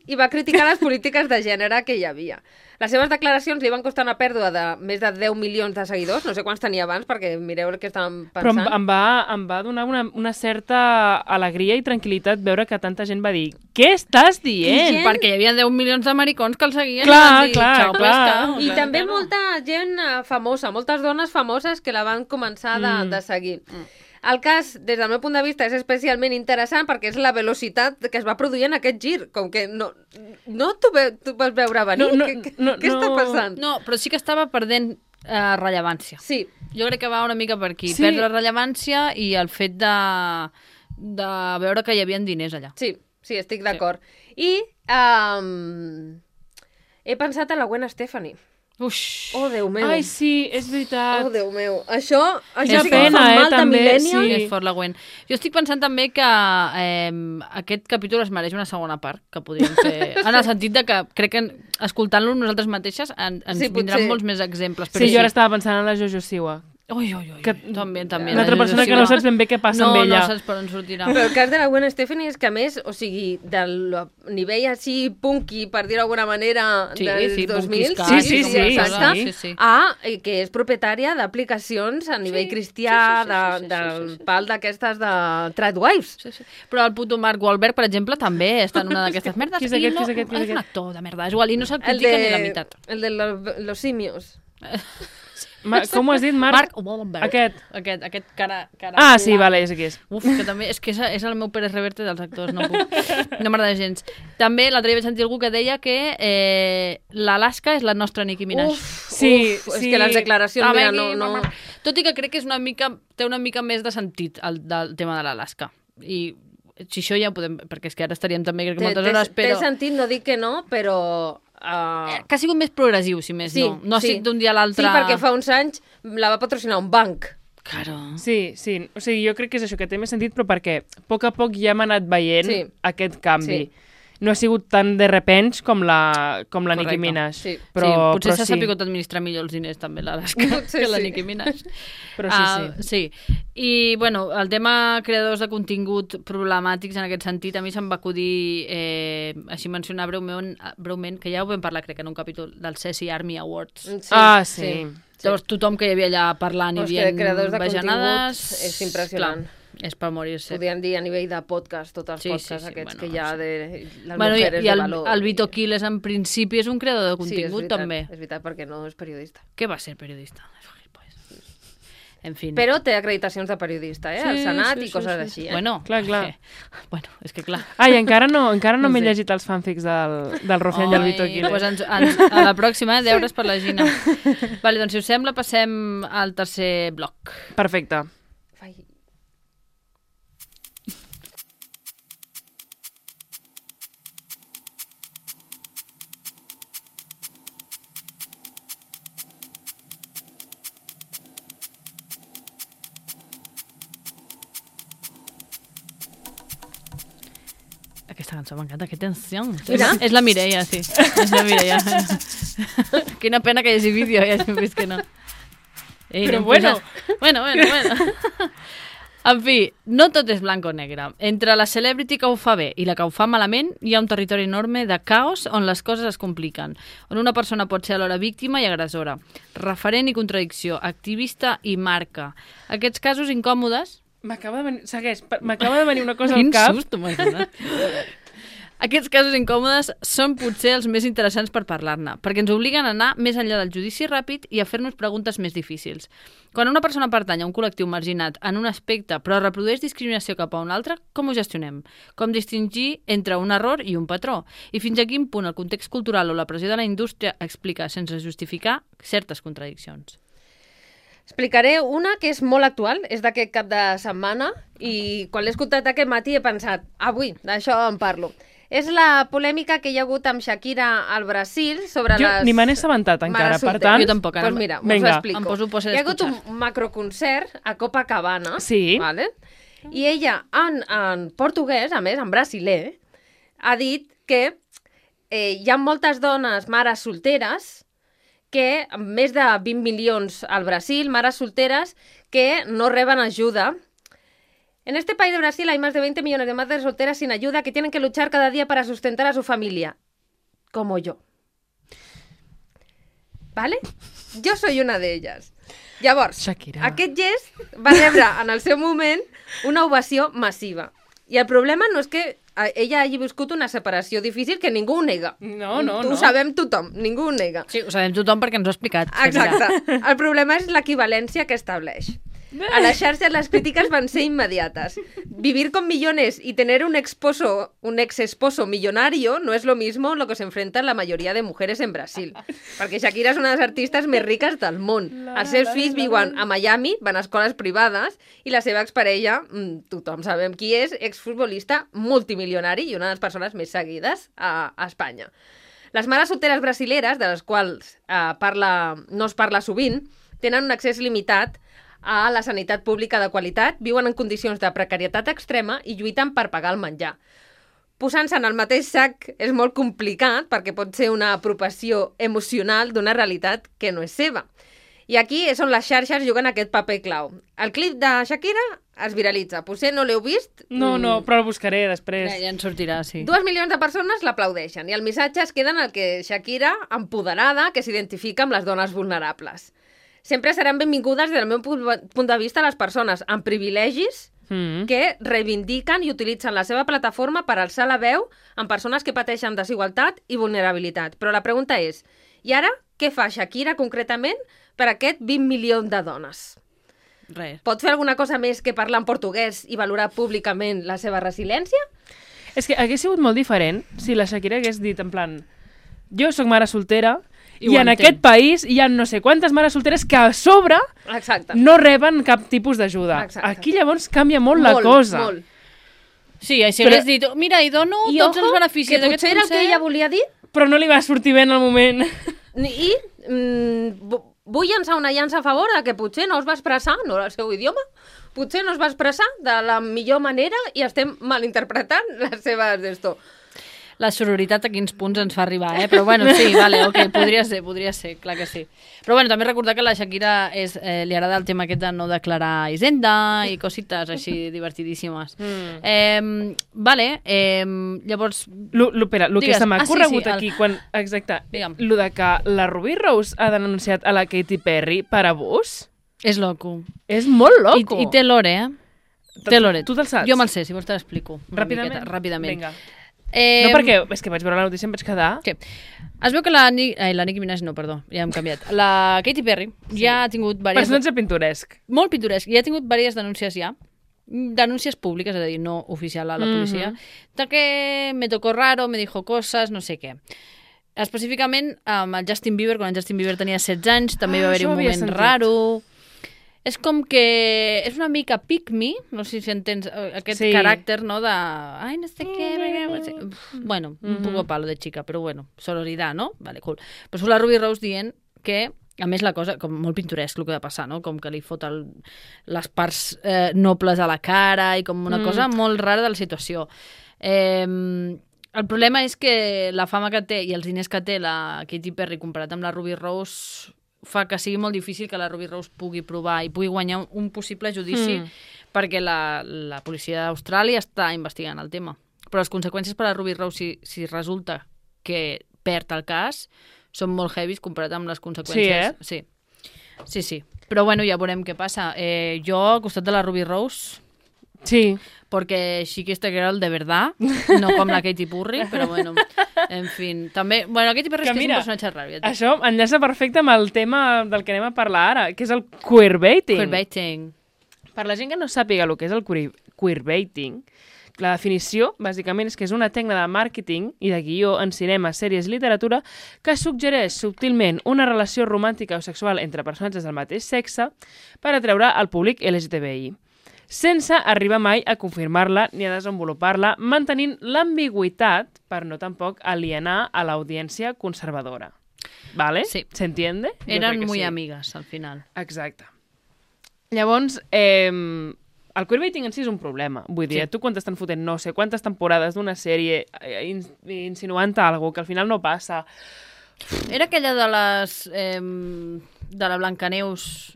i va criticar les polítiques de gènere que hi havia. Les seves declaracions li van costar una pèrdua de més de deu milions de seguidors, no sé quants tenia abans, perquè mireu el que estàvem Però em, pensant. em, va, em va donar una, una certa alegria i tranquil·litat veure que tanta gent va dir què estàs dient? gent- Perquè hi havia deu milions d'americans que el seguien Clar, i van dir, clar, "Xau, clar. pescado". I Clar també que no. molta gent eh, famosa, moltes dones famoses que la van començar de, Mm. de seguir. El cas, des del meu punt de vista, és especialment interessant perquè és la velocitat que es va produir en aquest gir. Com que no, no t'ho ve, tu vas veure venir. No, no, què què, no, què està no. passant? No, però sí que estava perdent eh, rellevància. Sí, Jo crec que va una mica per aquí. Sí. Perdre rellevància i el fet de, de veure que hi havia diners allà. sí, sí, estic d'acord. I um, he pensat en la Gwen Stefani. Uix. Oh, Déu meu. Ai, sí, és veritat. Oh, Déu meu. Això, això És sí que pena, fa eh, mal de també, millennial. sí. És fort la Gwen. Jo estic pensant també que eh, aquest capítol es mereix una segona part, que podríem fer, en el sentit de que crec que escoltant-lo nosaltres mateixes en, ens Sí, vindran potser. molts més exemples. Sí, jo ara estava pensant en la Jojo Siwa. Ui, ui, ui, Que- també, també. Una altra la persona que Jojo no Siwa. saps ben bé què passa no, amb ella. No, saps per on sortirà. Però el cas de la Gwen Stefani és que, a més, o sigui, del nivell així punky, per dir-ho d'alguna manera, Sí, dels sí, dos mil, punky Sí, sí, sí, exacte, sí, sí. a eh, que és propietària d'aplicacions a nivell Sí, cristià, sí, sí, sí, de, sí, sí, del sí, sí. pal d'aquestes de Tradwives. Sí, sí. Però el puto Mark Wahlberg, per exemple, també està en una d'aquestes merdes. Qui és i aquest, no, qui és aquest, qui és és un aquest? actor de merda, és igual, i no se'l El critica de, ni la meitat. el de los, los simios. Ma, com ho has dit, Marc? Mark Wahlberg. Aquest. Aquest, aquest cara... cara Ah, sí, vale, és aquí. És. Uf, que també, és que és, és el meu Pérez Reverte dels actors, no puc. No m'agrada gens. També l'altre dia vaig sentir algú que deia que eh, l'Alaska és la nostra Nicki Minaj. Uf, Sí, uf, sí. és que les declaracions, Ah, mira, vengui, no, no... mamà. Tot i que crec que és una mica, té una mica més de sentit el del tema de l'Alaska. I si això ja ho podem... Perquè és que ara estaríem també, crec que Té, moltes té, hores, però... té sentit, no dic que no, però... Uh... Que ha sigut més progressiu, si més Sí, no. No ha sí. sigut d'un dia a l'altre... Sí, perquè fa uns anys la va patrocinar un banc. Claro. Sí, sí. O sigui, jo crec que és això, que té més sentit, però perquè a poc a poc ja hem anat veient Sí. aquest canvi. Sí. No ha sigut tan de repens com la, com la Correcte. Nicki Minaj. Sí. Però, sí, potser però s'ha sí. sapigut administrar millor els diners també l'Alaska Potser que la sí. Nicki Minaj. Però sí, Ah, sí. I, bueno, el tema creadors de contingut problemàtics en aquest sentit, a mi se'm va acudir eh, així mencionar breument, breument, que ja ho vam parlar, crec, en un capítol del Ceci Army Awards. Sí, Ah, sí. sí. Llavors tothom que hi havia allà parlant i Però és que dient creadors de bajanades... contingut és impressionant. Clar, és per morir-se. Podríem dir a nivell de podcast, tots els Sí, sí, podcasts sí, aquests bueno, que hi ha sí. de les Bueno, i, mujeres i el, de valor. el Vito Quiles, en principi, és un creador de Sí, és contingut, veritat, també. és veritat, perquè no és periodista. Què va ser periodista? En fi. Però té acreditacions de periodista, eh? Al Senat i coses així, eh? Bueno, Clar, clar. Eh, bueno, és que clar. Ai, encara no, encara no, No m'he sé. llegit els fanfics del, del Rufián i el Vito Quiles. Pues ens, ens, a la pròxima, eh, deures per la Gina. Vale, doncs si us sembla, passem al tercer bloc. Perfecte. Vai. Aquesta cançó m'encanta, que tensió. Mira. És la Mireia, sí. És la Mireia. Quina pena que hi hagi vídeo, ja hem vist que no. Ei, Però anem bueno. posant- Bueno, bueno, bueno. En fi, no tot és blanc o negre. Entre la celebrity que ho fa bé i la que ho fa malament, hi ha un territori enorme de caos on les coses es compliquen, on una persona pot ser alhora víctima i agressora, referent i contradicció, activista i marca. Aquests casos incòmodes... M'acaba de venir... Segueix, pa- m'acaba de venir una cosa Quin al cap. susto m'has donat. Aquests casos incòmodes són potser els més interessants per parlar-ne, perquè ens obliguen a anar més enllà del judici ràpid i a fer-nos preguntes més difícils. Quan una persona pertany a un col·lectiu marginat en un aspecte però reprodueix discriminació cap a un altre, com ho gestionem? Com distingir entre un error i un patró? I fins a quin punt el context cultural o la pressió de la indústria explica, sense justificar, certes contradiccions? Explicaré una que és molt actual, és d'aquest cap de setmana, i quan l'he escoltat aquest matí he pensat, avui, d'això en parlo. És la polèmica que hi ha hagut amb Shakira al Brasil sobre Jo les... ni me n'he assabentat encara, mares per solteres. tant... Jo tampoc, ara Pues mira, us Vinga. ho explico. Em poso pose Hi ha hagut d'escuchar. un macroconcert a Copacabana, Sí. vale? I ella, en, en portuguès, a més, en brasiler, ha dit que eh, hi ha moltes dones, mares solteres, que amb més de vint milions al Brasil, mares solteres, que no reben ajuda. En este país de Brasil hay más de veinte millones de madres solteras sin ayuda que tienen que luchar cada día para sustentar a su familia. Como yo. ¿Vale? Yo soy una de ellas. Llavors, Shakira. aquest gest va rebre en el seu moment una ovació massiva. I el problema no és que eh, ella hagi viscut una separació difícil que ningú ho nega. No, no, Ho no. sabem tothom, ningú ho nega. Sí, ho sabem tothom perquè ens ho ha explicat. Shakira. Exacte. El problema és l'equivalència que estableix. A las xarxes las críticas van ser inmediatas. Vivir con millones y tener un esposo, un ex esposo millonario no es lo mismo lo que se enfrentan la mayoría de mujeres en Brasil. Perquè Shakira és una de les artistes més riques del món. Els seus fills viuen a Miami, van a escoles privades, i la seva exparella, mm, tothom sabem qui és, exfutbolista multimilionari i una de les persones més seguides a, a Espanya. Les mares solteres brasileres, de les quals eh, parla, no es parla sovint, tenen un accés limitat a la sanitat pública de qualitat, viuen en condicions de precarietat extrema i lluiten per pagar el menjar. Posant-se en el mateix sac és molt complicat perquè pot ser una apropiació emocional d'una realitat que no és seva. I aquí és on les xarxes juguen aquest paper clau. El clip de Shakira es viralitza. Potser no l'heu vist? No, no, però el buscaré després. Ja, ja en sortirà, sí. Dos milions de persones l'aplaudeixen i el missatge es queda en el que Shakira, empoderada, que s'identifica amb les dones vulnerables. Sempre seran benvingudes, des del meu punt de vista, les persones amb privilegis mm. que reivindiquen i utilitzen la seva plataforma per alçar la veu en persones que pateixen desigualtat i vulnerabilitat. Però la pregunta és, i ara què fa Shakira concretament per aquest vint milions de dones? Res. Pot fer alguna cosa més que parlar en portuguès i valorar públicament la seva resiliència? És que hagués sigut molt diferent si la Shakira hagués dit en plan jo sóc mare soltera i, i en entenc. Aquest país hi ha no sé quantes mares solteres que a sobre Exacte. no reben cap tipus d'ajuda. Aquí llavors canvia molt, molt la cosa. Molt. Sí, així Però... hagués dit, mira, i dono I tots ojo, els beneficis d'aquest concert. Que potser era el que ella volia dir. Però no li va sortir bé en el moment. I mm, vull llançar una llança a favor de que potser no es va expressar, no era el seu idioma, potser no es va expressar de la millor manera i estem malinterpretant les seves d'esto. La sororitat a quins punts ens fa arribar, eh? Però bueno, sí, vale, ok, podria ser, podria ser, clar que sí. Però bueno, també recordar que la Shakira és, eh, li agrada el tema aquest de no declarar hisenda i cosites així divertidíssimes. Mm. Eh, vale, eh, llavors... Lo, lo, espera, el que se m'ha ah, corregut sí, sí, aquí, el... quan, exacte, Digue'm. Lo de que la Ruby Rose ha denunciat a la Katy Perry per abús... És loco. És molt loco. I, i té l'ore, eh? Té l'ore. Tu te'l saps? Jo me'l sé, si vols te l'explico. Ràpidament? Miqueta, ràpidament. Vinga. Eh, no, perquè és que vaig veure la notícia i em vaig quedar... Què? Es veu que la, eh, la Nicki Minaj, no, perdó, ja hem canviat. La Katy Perry sí. ja ha tingut diverses... Personatge pintoresc. Molt pintoresc. Ja ha tingut diverses denúncies ja. Denúncies públiques, és a dir, no oficial a la policia. Mm-hmm. De que me tocó raro, me dijo cosas, no sé què. Específicament amb el Justin Bieber, quan el Justin Bieber tenia setze anys, també ah, va haver-hi un moment sentit. raro... És com que és una mica pick me, no sé si entens aquest sí. caràcter, no, de... Ai, no sé què... Bueno, mm-hmm. un poco palo de chica, però bueno, sororidad, no? Vale, cool. Però surt la Ruby Rose dient que, a més la cosa, com molt pintoresc el que ha de passar, no? Com que li fot el, les parts eh, nobles a la cara i com una mm. cosa molt rara de la situació. Eh, el problema és que la fama que té i els diners que té la Katy Perry comparat amb la Ruby Rose... fa que sigui molt difícil que la Ruby Rose pugui provar i pugui guanyar un, un possible judici mm. perquè la, la policia d'Austràlia està investigant el tema. Però les conseqüències per a la Ruby Rose, si, si resulta que perd el cas, són molt heavies comparat amb les conseqüències. Sí, eh? Sí, sí, sí. Però bueno, ja veurem què passa. Eh, jo, al costat de la Ruby Rose... Sí. Porque sí que esta girl de verdad, no com la Katy Perry, però bueno, en fin. També, bueno, la Katy Perry que és que mira, és un personatge raro. Ja això enllaça perfecte amb el tema del que anem a parlar ara, que és el queerbaiting. Queerbaiting. Per la gent que no sàpiga el que és el queerbaiting, la definició, bàsicament, és que és una tècnica de màrqueting i de guió en cinema, sèries i literatura que suggereix subtilment una relació romàntica o sexual entre personatges del mateix sexe per atreure al públic L G T B I. Sense arribar mai a confirmar-la ni a desenvolupar-la, mantenint l'ambigüitat per no tampoc alienar a l'audiència conservadora. ¿Vale? Sí. ¿Se entiende? Eren muy sí. amigas, al final. Exacte. Llavors, eh, el queerbaiting en si és un problema. Vull dir, sí. tu quan t'estan fotent no sé quantes temporades d'una sèrie eh, insinuant alguna que al final no passa. Era aquella de les... Eh, de la Blancaneus...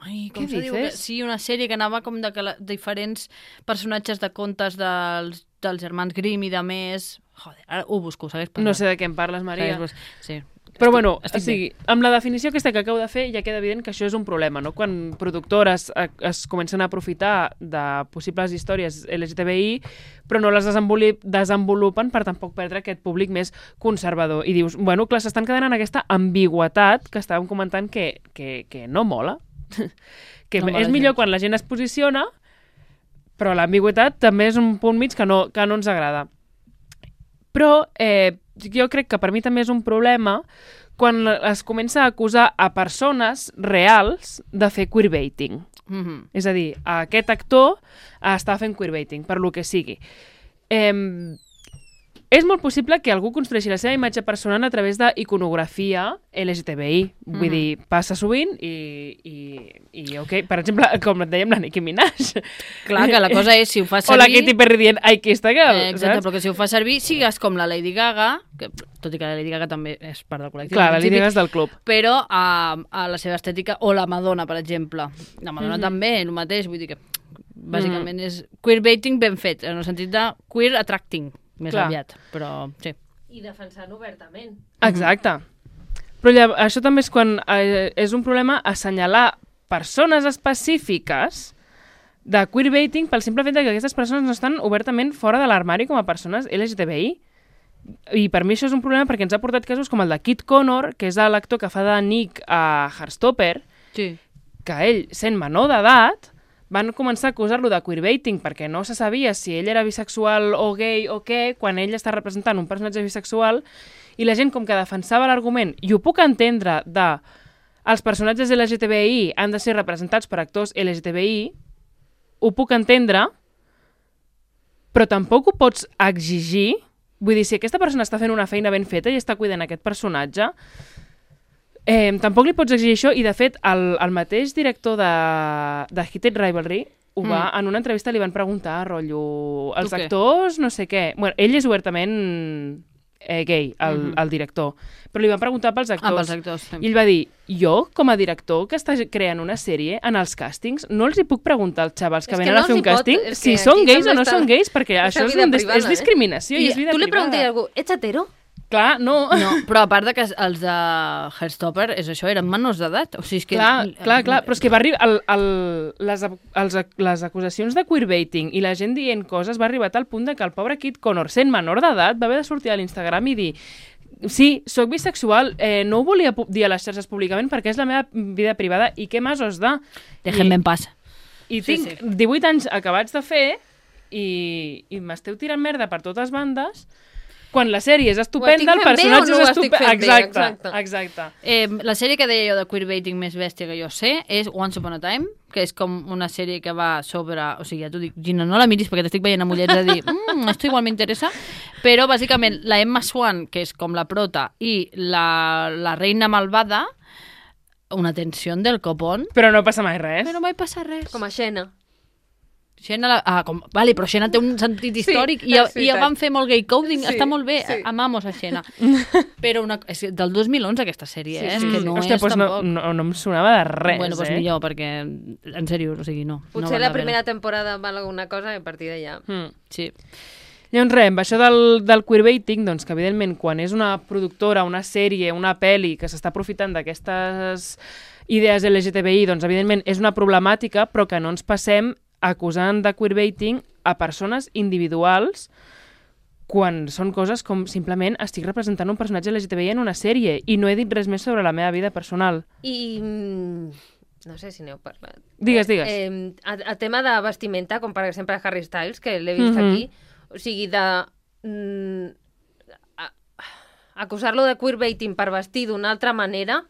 Ai, com se diu? Sí, una sèrie que anava com de que la, diferents personatges de contes dels, dels germans Grimm i de més... Joder, ara ho busco, segueix parlant. No sé de què em parles, Maria. Segueix, sí. Però estic, bueno, estic o sigui, amb la definició aquesta que acabo de fer ja queda evident que això és un problema, no? Quan productores es, es comencen a aprofitar de possibles històries L G T B I però no les desenvolupen per tampoc perdre aquest públic més conservador. I dius, bueno, clar, s'estan quedant en aquesta ambigüetat que estàvem comentant que, que, que no mola. que no és millor quan la gent es posiciona, però l'ambigüitat també és un punt mig que no, que no ens agrada. Però eh, jo crec que per mi també és un problema quan es comença a acusar a persones reals de fer queerbaiting. Mm-hmm. És a dir, aquest actor està fent queerbaiting, per lo que sigui. Eh, és molt possible que algú construeixi la seva imatge personal a través d'iconografia L G T B I. Vull mm-hmm. dir, passa sovint i, i, i ok, per exemple, com et dèiem, la Nicki Minaj. Clar, que la cosa és, si ho fa servir... O la Katy Perry dient, I kissed a girl, eh, exacte, saps? però que si ho fa servir, sigues com la Lady Gaga, que, tot i que la Lady Gaga també és part del col·lectiu. Clar, la Lady Gaga és del club. Però a, a la seva estètica, o la Madonna, per exemple. La Madonna mm-hmm. també, el mateix, vull dir que bàsicament mm. és queerbaiting ben fet, en el sentit de queer attracting, més Clar. aviat, però sí. I defensant obertament. Exacte. Però llavors, això també és quan eh, és un problema assenyalar persones específiques de queerbaiting pel simple fet que aquestes persones no estan obertament fora de l'armari com a persones L G T B I. I per mi això és un problema perquè ens ha portat casos com el de Kit Connor, que és l'actor que fa de Nick a Heartstopper, sí. que ell, sent menor d'edat, van començar a acusar-lo de queerbaiting perquè no se sabia si ell era bisexual o gay o què, quan ell està representant un personatge bisexual, i la gent com que defensava l'argument, i ho puc entendre, de els personatges L G T B I han de ser representats per actors L G T B I, ho puc entendre, però tampoc ho pots exigir. Vull dir, si aquesta persona està fent una feina ben feta i està cuidant aquest personatge, Eh, tampoc li pots exigir això, i de fet el, el mateix director de, de Heated Rivalry ho va, mm. en una entrevista li van preguntar, rotllo, els tu actors, no sé què. Bueno, ell és obertament eh, gay, el, mm. el director, però li van preguntar pels actors. Ah, pels actors, sí. I ell va dir, jo, com a director que està creant una sèrie, en els càstings, no els hi puc preguntar als xavals que venen no a fer un càsting si són gais o no són gais, perquè això és, un privada, és discriminació eh? i és vida privada. Tu li preguntes a algú, ets hetero? Clar, no. no. Però a part de que els de Heartstopper, és això, eren menors d'edat. O sigui, és que... Clar, clar, clar, però és que va arribar... El, el, les, els, les acusacions de queerbaiting i la gent dient coses va arribar a tal punt de que el pobre Kit Connor, sent menor d'edat, va haver de sortir a l'Instagram i dir sí, sóc bisexual, eh, no ho volia dir a les xarxes públicament perquè és la meva vida privada i què més os da? Déjenme en paz. I sí, tinc sí. divuit anys acabats de fer i, i m'esteu tirant merda per totes bandes... Quan la sèrie és estupenda, el personatge no és estupend. Exacte, exacte. exacte. Eh, la sèrie que deia jo de queerbaiting més bèstia que jo sé és Once Upon a Time, que és com una sèrie que va sobre... O sigui, ja t'ho dic, Gina, no la miris perquè t'estic veient amb ullets de dir mmm, esto igual m'interessa, però bàsicament la Emma Swan, que és com la prota, i la, la reina malvada, una tensió del copón. Però no passa mai res. Però mai passa res. Com a Xena. Xena, la... ah, com... vale, però Xena té un sentit històric sí, i, i ja van fer molt gay coding, sí, està molt bé, sí. Amamos a Xena. Però una... és del dos mil onze aquesta sèrie, sí, eh? Sí. És que no Hòstia, és pues tampoc... No, no, no em sonava de res, bueno, doncs eh? millor, perquè, en sèrio, o sigui, no. Potser no la primera temporada val alguna cosa i a partir d'allà. Mm. Sí. Llavors, res, amb això del, del queerbaiting, doncs que evidentment quan és una productora, una sèrie, una pel·li que s'està aprofitant d'aquestes idees L G T B I, doncs evidentment és una problemàtica, però que no ens passem acusant de queerbaiting a persones individuals quan són coses com simplement estic representant un personatge L G T B I en una sèrie i no he dit res més sobre la meva vida personal. I... no sé si n'heu parlat. Digues, digues. Eh, a, a tema de vestimenta, com per exemple Harry Styles, que l'he vist mm-hmm. aquí, o sigui, de... Mm, acusar-lo de queerbaiting per vestir d'una altra manera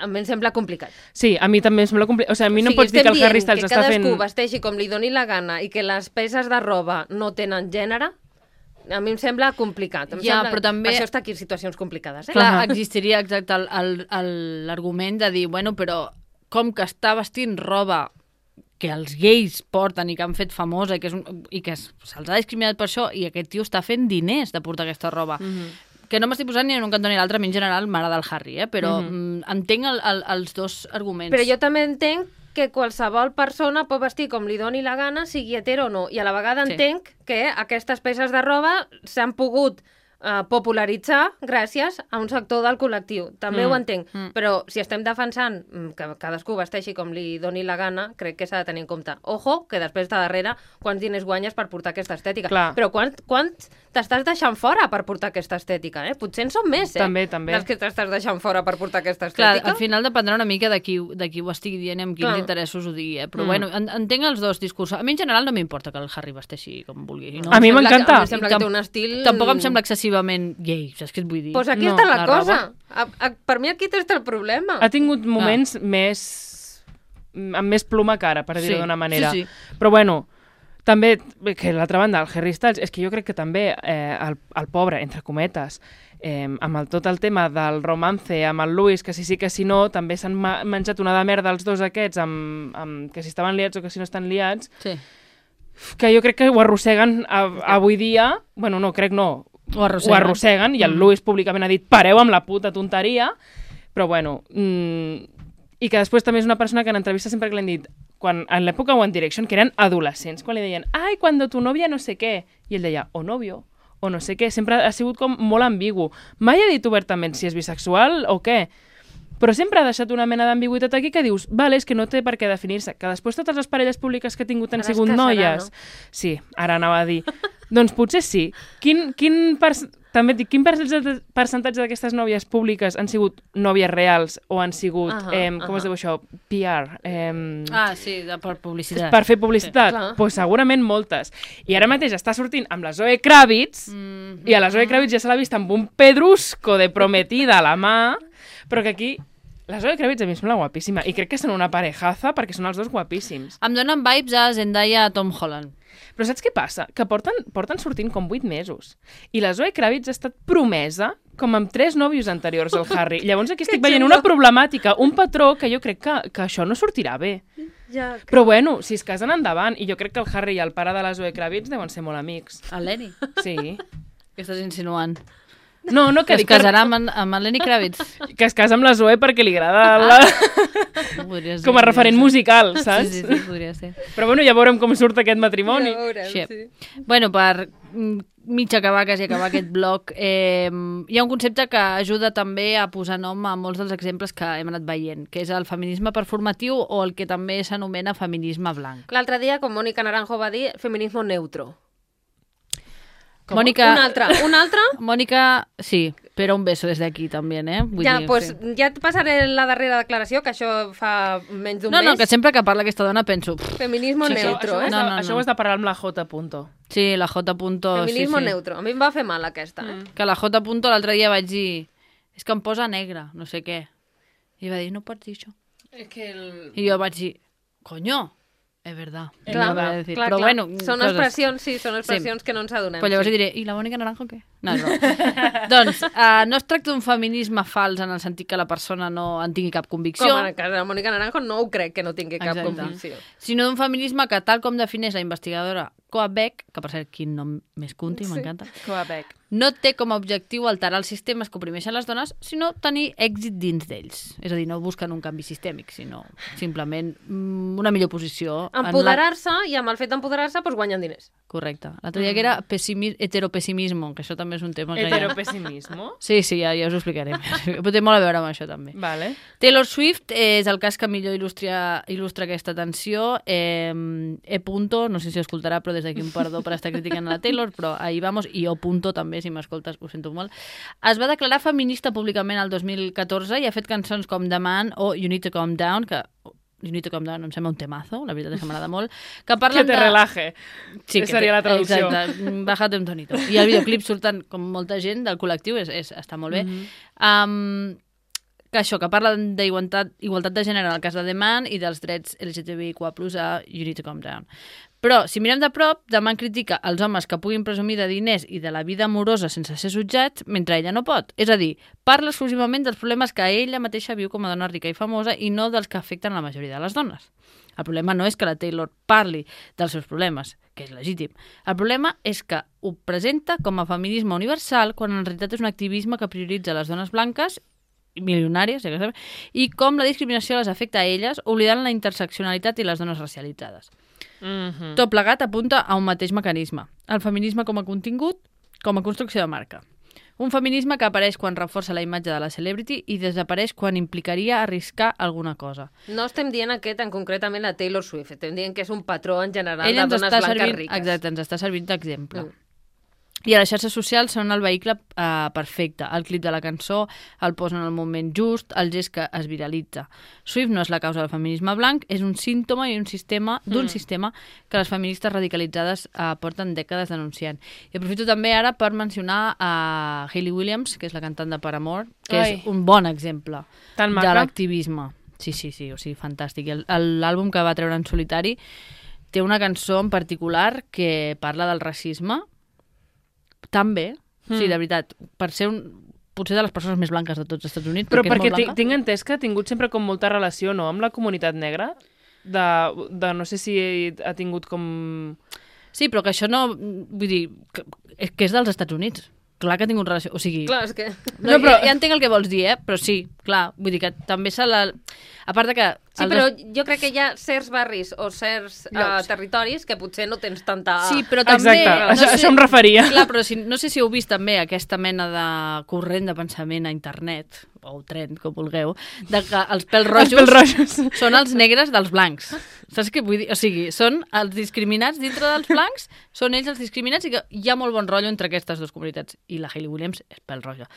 a mi em sembla complicat. Sí, a mi també em sembla complicat. O sigui, a mi no o sigui, pots dir que el Harry Styles està fent... que cadascú vesteixi com li doni la gana i que les peces de roba no tenen gènere, a mi em sembla complicat. Em ja, sembla... però també... Per això està aquí en situacions complicades. Eh? Clar, uh-huh. existiria exacte l'argument de dir, bueno, però com que està vestint roba que els gais porten i que han fet famosa i que, és un... i que se'ls ha discriminat per això i aquest tio està fent diners de portar aquesta roba. Uh-huh. Que no m'estic posant ni en un cantó ni l'altre, a mi en general m'agrada el Harry, eh? Però mm-hmm. mm, entenc el, el, els dos arguments. Però jo també entenc que qualsevol persona pot vestir com li doni la gana, sigui hetero o no, i a la vegada sí. entenc que aquestes peces de roba s'han pogut uh, popularitzar gràcies a un sector del col·lectiu. També mm. ho entenc, mm. però si estem defensant que cadascú vesteixi com li doni la gana, crec que s'ha de tenir en compte. Ojo, que després de darrere quants diners guanyes per portar aquesta estètica. Clar. Però quant, quant t'estàs deixant fora per portar aquesta estètica, eh? Potser en són més, eh? També, també. Dels que t'estàs deixant fora per portar aquesta estètica. Clar, al final dependrà una mica de qui, de qui ho estigui dient i amb quins Clar. interessos ho digui, eh? Però mm. bueno, en, entenc els dos discursos. A mi en general no m'importa que el Harry vesteixi com vulgui. No? A mi m'encanta. Em sembla que té un estil... Tampoc em sembla excessivament gay, saps què et vull dir? Doncs pues aquí no, està la, la cosa. A, a, per mi aquí està el problema. Ha tingut moments ah. més... amb més pluma cara, per dir-ho sí, d'una manera. Sí, sí. Però bueno... També, que l'altra banda, el Harry Styles, és que jo crec que també eh, el, el pobre, entre cometes, eh, amb el, tot el tema del romance, amb el Lewis, que si sí que si no, també s'han ma menjat una de merda els dos aquests, amb, amb, que si estaven liats o que si no estan liats, Sí. que jo crec que ho arrosseguen a, avui dia, bueno, no, crec no, Ho arrosseguen. ho arrosseguen, i el Mm. Lewis públicament ha dit pareu amb la puta tonteria, però bueno, mmm, i que després també és una persona que en entrevistes sempre que l'han dit, quan, en l'època One Direction, que eren adolescents, quan li deien, ai, cuando tu novia no sé què, i ell deia, o novio, o no sé què, sempre ha sigut com molt ambigu. Mai ha dit obertament si és bisexual o què, però sempre ha deixat una mena d'ambigüitat aquí que dius, vale, és que no té per què definir-se, que després totes les parelles públiques que ha tingut han Ara es sigut casarà, noies. no? Sí, ara anava a dir. Doncs potser sí. Quin, quin per... També et dic, quin percentatge d'aquestes nòvies públiques han sigut nòvies reals o han sigut, Ahà, eh, com ahà. es diu això, P R? Eh, Ah, sí, de, per publicitat. per fer publicitat? Sí, clar. Doncs pues segurament moltes. I ara mateix està sortint amb la Zoe Kravitz, Mm, i a la Zoe Kravitz ja se l'ha vist amb un pedrusco de prometida a la mà, però que aquí la Zoe Kravitz a mi em sembla guapíssima, i crec que són una parejaza perquè són els dos guapíssims. Em donen vibes a Zendaya a Tom Holland. Però saps què passa? Que porten, porten sortint com vuit mesos. I la Zoe Kravitz ha estat promesa com amb tres nòvios anteriors al Harry. Llavors aquí estic veient una problemàtica, un patró que jo crec que, que això no sortirà bé. Ja, Però bueno, si es casen endavant, i jo crec que el Harry i el pare de la Zoe Kravitz deuen ser molt amics. El Lenny. Sí. Què estàs insinuant? No, no, Que que, es casarà amb, en- amb el Lenny Kravitz? que es casa amb la Zoe perquè li agrada la... Podria ser, com a podria referent ser. musical, saps? Sí, sí, sí, podria ser. Però bueno, ja veurem com surt aquest matrimoni. Ja veurem, Sí. sí. Bueno, per mm, mig acabar, quasi acabar aquest bloc, eh, hi ha un concepte que ajuda també a posar nom a molts dels exemples que hem anat veient, que és el feminisme performatiu o el que també s'anomena feminisme blanc. L'altre dia, com Mònica Naranjo va dir, feminismo neutro. Com? Mònica, Un altre, un altre? Mònica, sí, però un beso des d'aquí també, eh? Vull Ja, dir, pues, sí. ja et passaré la darrera declaració, que això fa menys d'un No, no, mes. que sempre que parla aquesta dona penso... pff, Feminismo Això, neutro, això, eh? això, No, no, això no. ho has de parlar amb la J. Punto. Sí, la J. Punto, Feminismo sí, sí. neutro. A mi em va fer mal aquesta, eh? Mm. Que la J. Punto l'altre dia vaig dir és que em posa negra, no sé què. I va dir, no pots dir això. És que el... I jo vaig dir, coño, és verdad. És Clar, No verdad. voy a decir. clar, Però clar. bueno, Són coses. expressions, sí, són expressions que no ens adonem. Però llavors sí. diré, i la Mònica Naranjo què? No, no. Doncs uh, no es tracta d'un feminisme fals en el sentit que la persona no en tingui cap convicció, Com en el cas de la Mònica Naranjo no ho crec que no tingui cap Exacte. convicció. sinó d'un feminisme que, tal com defineix la investigadora Koa Beck, que per cert, quin nom més cunti, Sí. m'encanta, Quebec. no té com a objectiu alterar els sistemes que oprimeixen les dones, sinó tenir èxit dins d'ells. És a dir, no busquen un canvi sistèmic, sinó simplement mm, una millor posició. en la- Empoderar-se, i amb el fet d'empoderar-se, doncs guanyen diners. Correcte. L'altre dia que era pessimi... heteropessimismo, que això també és un tema que... ja- Heteropessimismo. Sí, sí, ja, ja us ho explicaré. Però té molt a veure amb això, també. Vale. Taylor Swift és el cas que millor il·lustra, il·lustra aquesta tensió. Eh, e punto, no sé si escoltarà, però des d'aquí un perdó per estar criticant a la Taylor, però ahí vamos, i o punto també, si m'escoltes, ho sento molt. Es va declarar feminista públicament el dos mil catorze i ha fet cançons com The Man o You Need to Calm Down, que You Need to Calm Down em sembla un temazo, la veritat és que m'agrada molt, que Que parlen te de... relaje. Sí, Que seria té- la traducció. Exacte, mm, bájate un tonito. I el videoclip surten com molta gent del col·lectiu, és, és, està molt bé. Mhm. um, que això, que parla d'igualtat igualtat de gènere en el cas de The Man i dels drets L G T B I Q plus a You Need to Calm Down. Però, si mirem de prop, The Man critica els homes que puguin presumir de diners i de la vida amorosa sense ser jutjats, mentre ella no pot. És a dir, parla exclusivament dels problemes que ella mateixa viu com a dona rica i famosa i no dels que afecten la majoria de les dones. El problema no és que la Taylor parli dels seus problemes, que és legítim. El problema és que ho presenta com a feminisme universal quan en realitat és un activisme que prioritza les dones blanques milionàries, ja que sabem, i com la discriminació les afecta a elles, oblidant la interseccionalitat i les dones racialitzades. Mhm. Tot plegat apunta a un mateix mecanisme, el feminisme com a contingut, com a construcció de marca. Un feminisme que apareix quan reforça la imatge de la celebrity i desapareix quan implicaria arriscar alguna cosa. No estem dient aquest en concretament la Taylor Swift, estem dient que és un patró en general Ella de ens dones està blanques servint, riques. exacte, ens està servint d'exemple. Mm. I a les xarxes socials són el vehicle eh, perfecte. El clip de la cançó el posen en el moment just, el gest que es viralitza. Swift no és la causa del feminisme blanc, és un símptoma i un sistema d'un mm. sistema que les feministes radicalitzades eh, porten dècades denunciant. I aprofito també ara per mencionar a Hayley Williams, que és la cantant de Paramore, que Ai. és un bon exemple Tan de maca. l'activisme. Sí, sí, sí, o sigui, fantàstic. I el- el- l'àlbum que va treure en solitari té una cançó en particular que parla del racisme tan bé, mm. sí, de veritat, per ser un, potser de les persones més blanques de tots els Estats Units. Però perquè, perquè tinc entès que ha tingut sempre com molta relació, no?, amb la comunitat negra, de, de no sé si ha tingut com... Sí, però que això no... Vull dir, que, que és dels Estats Units. Clar que ha tingut relació, o sigui... Clar, és que... No, no, però... ja, ja entenc el que vols dir, eh? Però sí, clar, vull dir que també se la... A part de que... Sí, però dos... jo crec que hi ha certs barris o certs uh, territoris que potser no tens tanta... Sí, però també... Exacte, no això, sé... això em referia. Clar, però si, no sé si heu vist també aquesta mena de corrent de pensament a internet, o trend, com vulgueu, de que els pèls rojos, els pèls rojos són els negres dels blancs. Saps què vull dir? O sigui, són els discriminats dintre dels blancs, són ells els discriminats i que hi ha molt bon rotllo entre aquestes dues comunitats. I la Hayley Williams és pèl roja.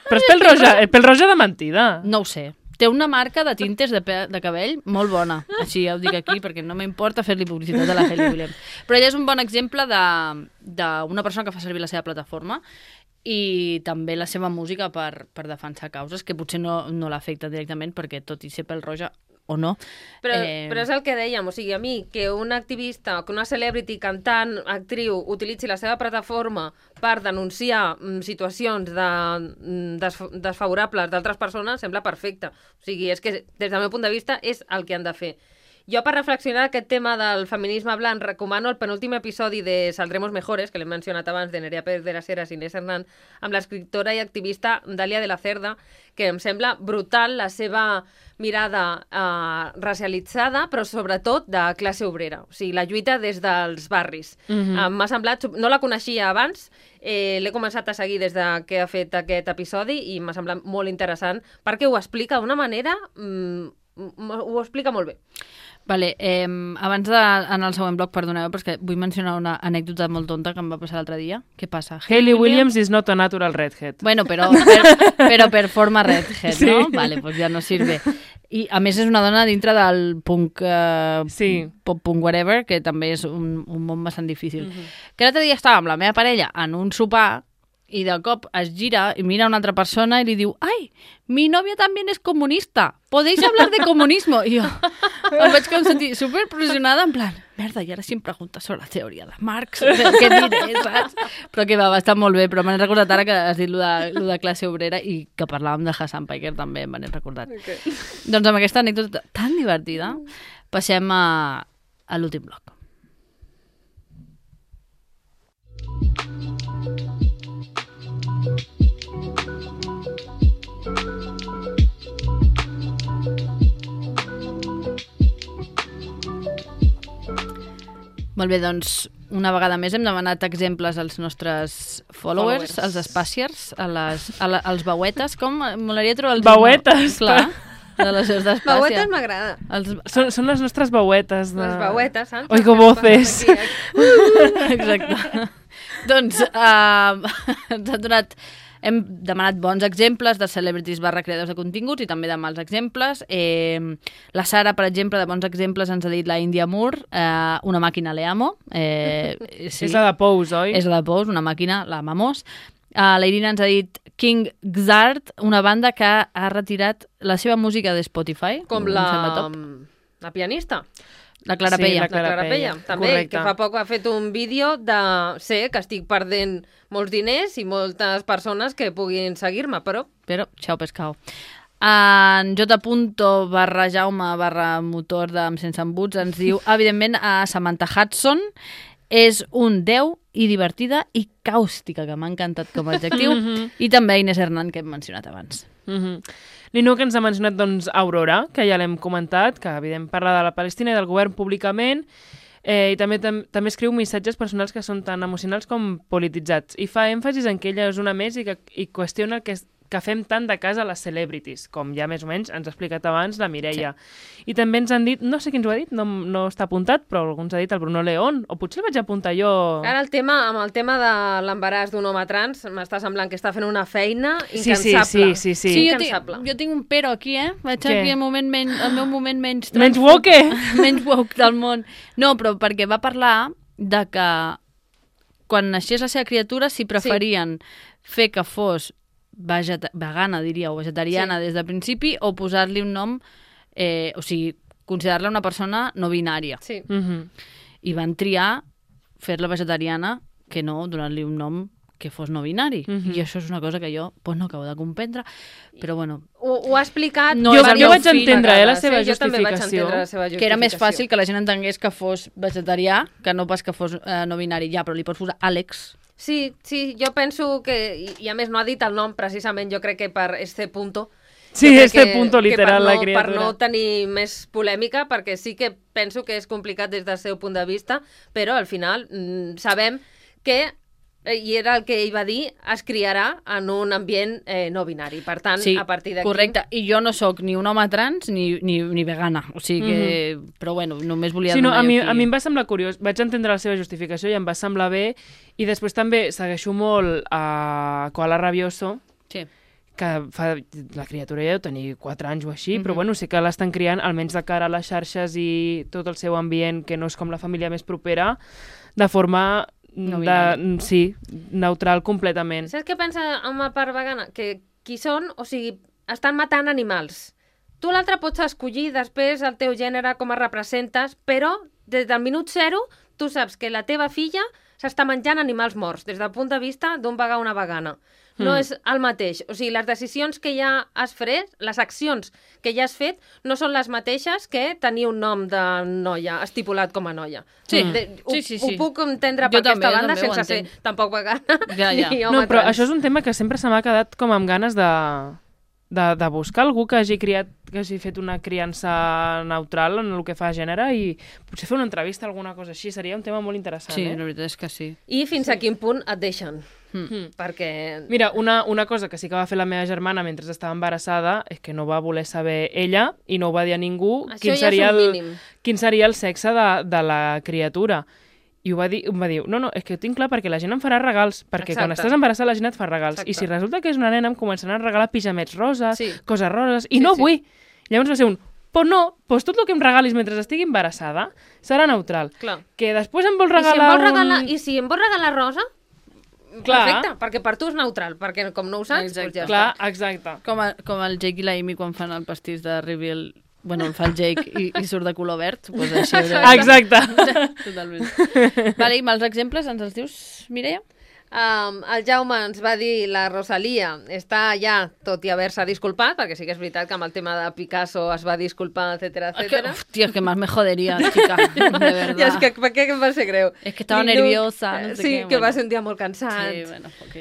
Però és pèl roja, és pèl roja de mentida. No ho sé. Té una marca de tintes de, pe de cabell molt bona. Així ja ho dic aquí perquè no m'importa fer-li publicitat a la Hayley Williams. Però ella és un bon exemple d'una persona que fa servir la seva plataforma i també la seva música per, per defensar causes que potser no, no l'afecta directament perquè tot i ser pèl roja o no. Però, eh... però és el que dèiem, o sigui, a mi, que un activista, que una celebrity, cantant, actriu, utilitzi la seva plataforma per denunciar mm, situacions de, mm, desf desfavorables d'altres persones, sembla perfecte. O sigui, és que des del meu punt de vista és el que han de fer. Jo, per reflexionar aquest tema del feminisme blanc, recomano el penúltim episodi de Saldremos Mejores, que l'hem mencionat abans, de Nerea Pérez de las Heras i Inés Hernán, amb l'escriptora i activista Dàlia de la Cerda, que em sembla brutal la seva mirada eh, racialitzada, però sobretot de classe obrera. O sigui, la lluita des dels barris. Mm-hmm. eh, M'ha semblat... No la coneixia abans, eh, l'he començat a seguir des de que ha fet aquest episodi i m'ha semblat molt interessant perquè ho explica d'una manera... Mm, ho explica molt bé. Vale, eh, abans d'anar al següent bloc, perdoneu, però és que vull mencionar una anècdota molt tonta que em va passar l'altre dia. Què passa? Hayley Williams is not a natural redhead. Bueno, però per, però per forma redhead, sí. ¿no? Vale, pues ja no sirve. I a més és una dona dintre del punk, eh, sí. pop punk whatever, que també és un, un món bastant difícil. Mm-hmm. Que l'altre dia estava amb la meva parella en un sopar i de cop es gira i mira una altra persona i li diu «Ai, mi novia també és comunista, podéis hablar de comunismo?» I jo em vaig com sentir superpressionada en plan merda, i ara si em preguntes sobre la teoria de Marx, què diré, saps? Però que va, va estar molt bé, però m'han recordat ara que has dit lo de, lo de classe obrera i que parlàvem de Hassan Piker també, m'han recordat. Okay. Doncs amb aquesta anècdota tan divertida passem a, a l'últim bloc. Molt bé, doncs, una vegada més hem demanat exemples als nostres followers, followers. als espaciers, a les, a la, als bauetes. Com? Molaria trobar els... Bauetes! Clar, de les seus d'espàcia. Bauetes m'agrada. Els... Són, són les nostres bauetes. De... Les bauetes, saps? Oigo voces. Aquí, aquí. Exacte. Doncs uh, ens han donat... Hem demanat bons exemples de celebrities barra creadors de continguts i també de mals exemples. Eh, la Sara, per exemple, de bons exemples ens ha dit la India Moore, eh, una màquina le amo. Eh, sí. És la de Pose, oi? És la de Pose, una màquina, la amamos. Uh, la Irina ens ha dit King Gizzard, una banda que ha retirat la seva música de Spotify. Com la, la pianista. La Clara sí, Pella. La Clara, la Clara Pella, Pella. també, correcte. que fa poc ha fet un vídeo de sé que estic perdent molts diners i moltes persones que puguin seguir-me, però... Però, xau pescau. En J. barra Jaume barra motor de Sense Embuts ens diu, evidentment, a Samantha Hudson és un deu i divertida i càustica, que m'ha encantat com a adjectiu, mm-hmm. i també Inés Hernán, que hem mencionat abans. Mm-hmm. L'Inuk ens ha mencionat doncs, Aurora, que ja l'hem comentat, que evident parla de la Palestina i del govern públicament, eh, i també tam també escriu missatges personals que són tan emocionals com polititzats. I fa èmfasis en que ella és una més i, que, i qüestiona que, que fem tant de cas a les celebrities, com ja més o menys ens ha explicat abans la Mireia. Sí. I també ens han dit, no sé qui ens ho ha dit, no, no està apuntat, però algú ens ha dit el Bruno León, o potser el vaig apuntar jo... Ara el tema, amb el tema de l'embaràs d'un home trans, m'està semblant que està fent una feina Sí, incansable. sí, sí. sí, sí. sí jo, tinc, jo tinc un pero aquí, eh? Vaig Què? aquí el, moment men el meu moment menys... Menys woke? menys woke del món. No, però perquè va parlar de que quan naixés la seva criatura s'hi preferien sí. fer que fos vegeta vegana, diria, o vegetariana sí. des del principi, o posar-li un nom, eh, o sigui, considerar-la una persona no binària. Sí. Mm-hmm. i van triar fer-la vegetariana que no donar-li un nom que fos no binari. Mhm. I això és una cosa que jo pues, no acabo de comprendre, però bueno... Ho, ho ha explicat... No, jo, és jo vaig prou entendre eh, la vegades, seva eh? Jo també vaig justificació. entendre la seva justificació. Que era més fàcil que la gent entengués que fos vegetarià que no pas que fos eh, no binari. Ja, però li pots posar Àlex. Sí, sí, jo penso que... I, i a més no ha dit el nom, precisament, jo crec que per este punto... Sí, jo crec este que, punto literal, que per no, la criatura. Per no tenir més polèmica, perquè sí que penso que és complicat des del seu punt de vista, però al final mm, sabem que, i era el que ell va dir, es criarà en un ambient eh, no binari. Per tant, Sí, a partir d'aquí... correcte. I jo no sóc ni un home trans ni, ni, ni vegana. O sigui que... Mhm. Però bueno, només volia Sí, no, donar a mi, aquí... a mi em va semblar curiós. Vaig entendre la seva justificació i em va semblar bé. I després també segueixo molt a Koala Rabioso, Sí. que fa, la criatura ja deu tenir quatre anys o així, Mhm. però bueno, sí que l'estan criant, almenys de cara a les xarxes i tot el seu ambient, que no és com la família més propera, de forma No de, binari. sí, neutral completament. Saps què pensa amb la part vegana? Que qui són, o sigui, estan matant animals. Tu l'altre pots escollir després el teu gènere, com es representes, però des del minut zero tu saps que la teva filla s'està menjant animals morts, des del punt de vista d'un vegà o una vegana. No Mm. és el mateix. O sigui, les decisions que ja has fet, les accions que ja has fet, no són les mateixes que tenir un nom de noia, estipulat com a noia. Sí. De, ho, Sí, sí, sí. ho puc entendre Jo per també, aquesta jo banda també ho sense ser entenc. tampoc vegana Ja, ja. ni home No, però trans. això és un tema que sempre se m'ha quedat com amb ganes de, de, de buscar algú que hagi criat, que hagi fet una criança neutral en el que fa gènere i potser fer una entrevista, alguna cosa així, seria un tema molt interessant, Sí, eh? la veritat és que sí. I fins a quin punt et deixen. Mm. Perquè... Mira, una, una cosa que sí que va fer la meva germana mentre estava embarassada és que no va voler saber ella i no ho va dir a ningú Això quin ja és seria, un el, mínim. quin seria el sexe de, de la criatura. I ho va dir, em va dir, no, no, és que ho tinc clar perquè la gent em farà regals, perquè Exacte. quan estàs embarassada la gent et fa regals. Exacte. I si resulta que és una nena em començaran a regalar pijamets roses, Sí. coses roses, i Sí, no sí. vull. Llavors va ser un, però no, doncs tot el que em regalis mentre estigui embarassada serà neutral. Clar. Que després em vols I si, em regalar vols regalar, un... I si em vols regalar rosa, Clar. perfecte, perquè per tu és neutral, perquè com no ho saps, Exacte. doncs ja Clar, està. exacte. Com, a, com el Jake i la Amy quan fan el pastís de Reveal. Bueno, el fa el Jake i, i surt de color verd. Pues així Exacte. Totalment. Vale, i mals exemples ens els dius, Mireia? Um, el Jaume ens va dir la Rosalia està ja, tot i haver-se disculpat, perquè sí que és veritat que amb el tema de Picasso es va disculpar, etcètera, Es que, etcètera. uf, tío, que más me jodería, chica, de verdad. I és que, per què em va ser greu? Es que estava Linux, nerviosa, no sé sí, què, que va bueno. ser un dia molt cansat. Sí, bueno, ok.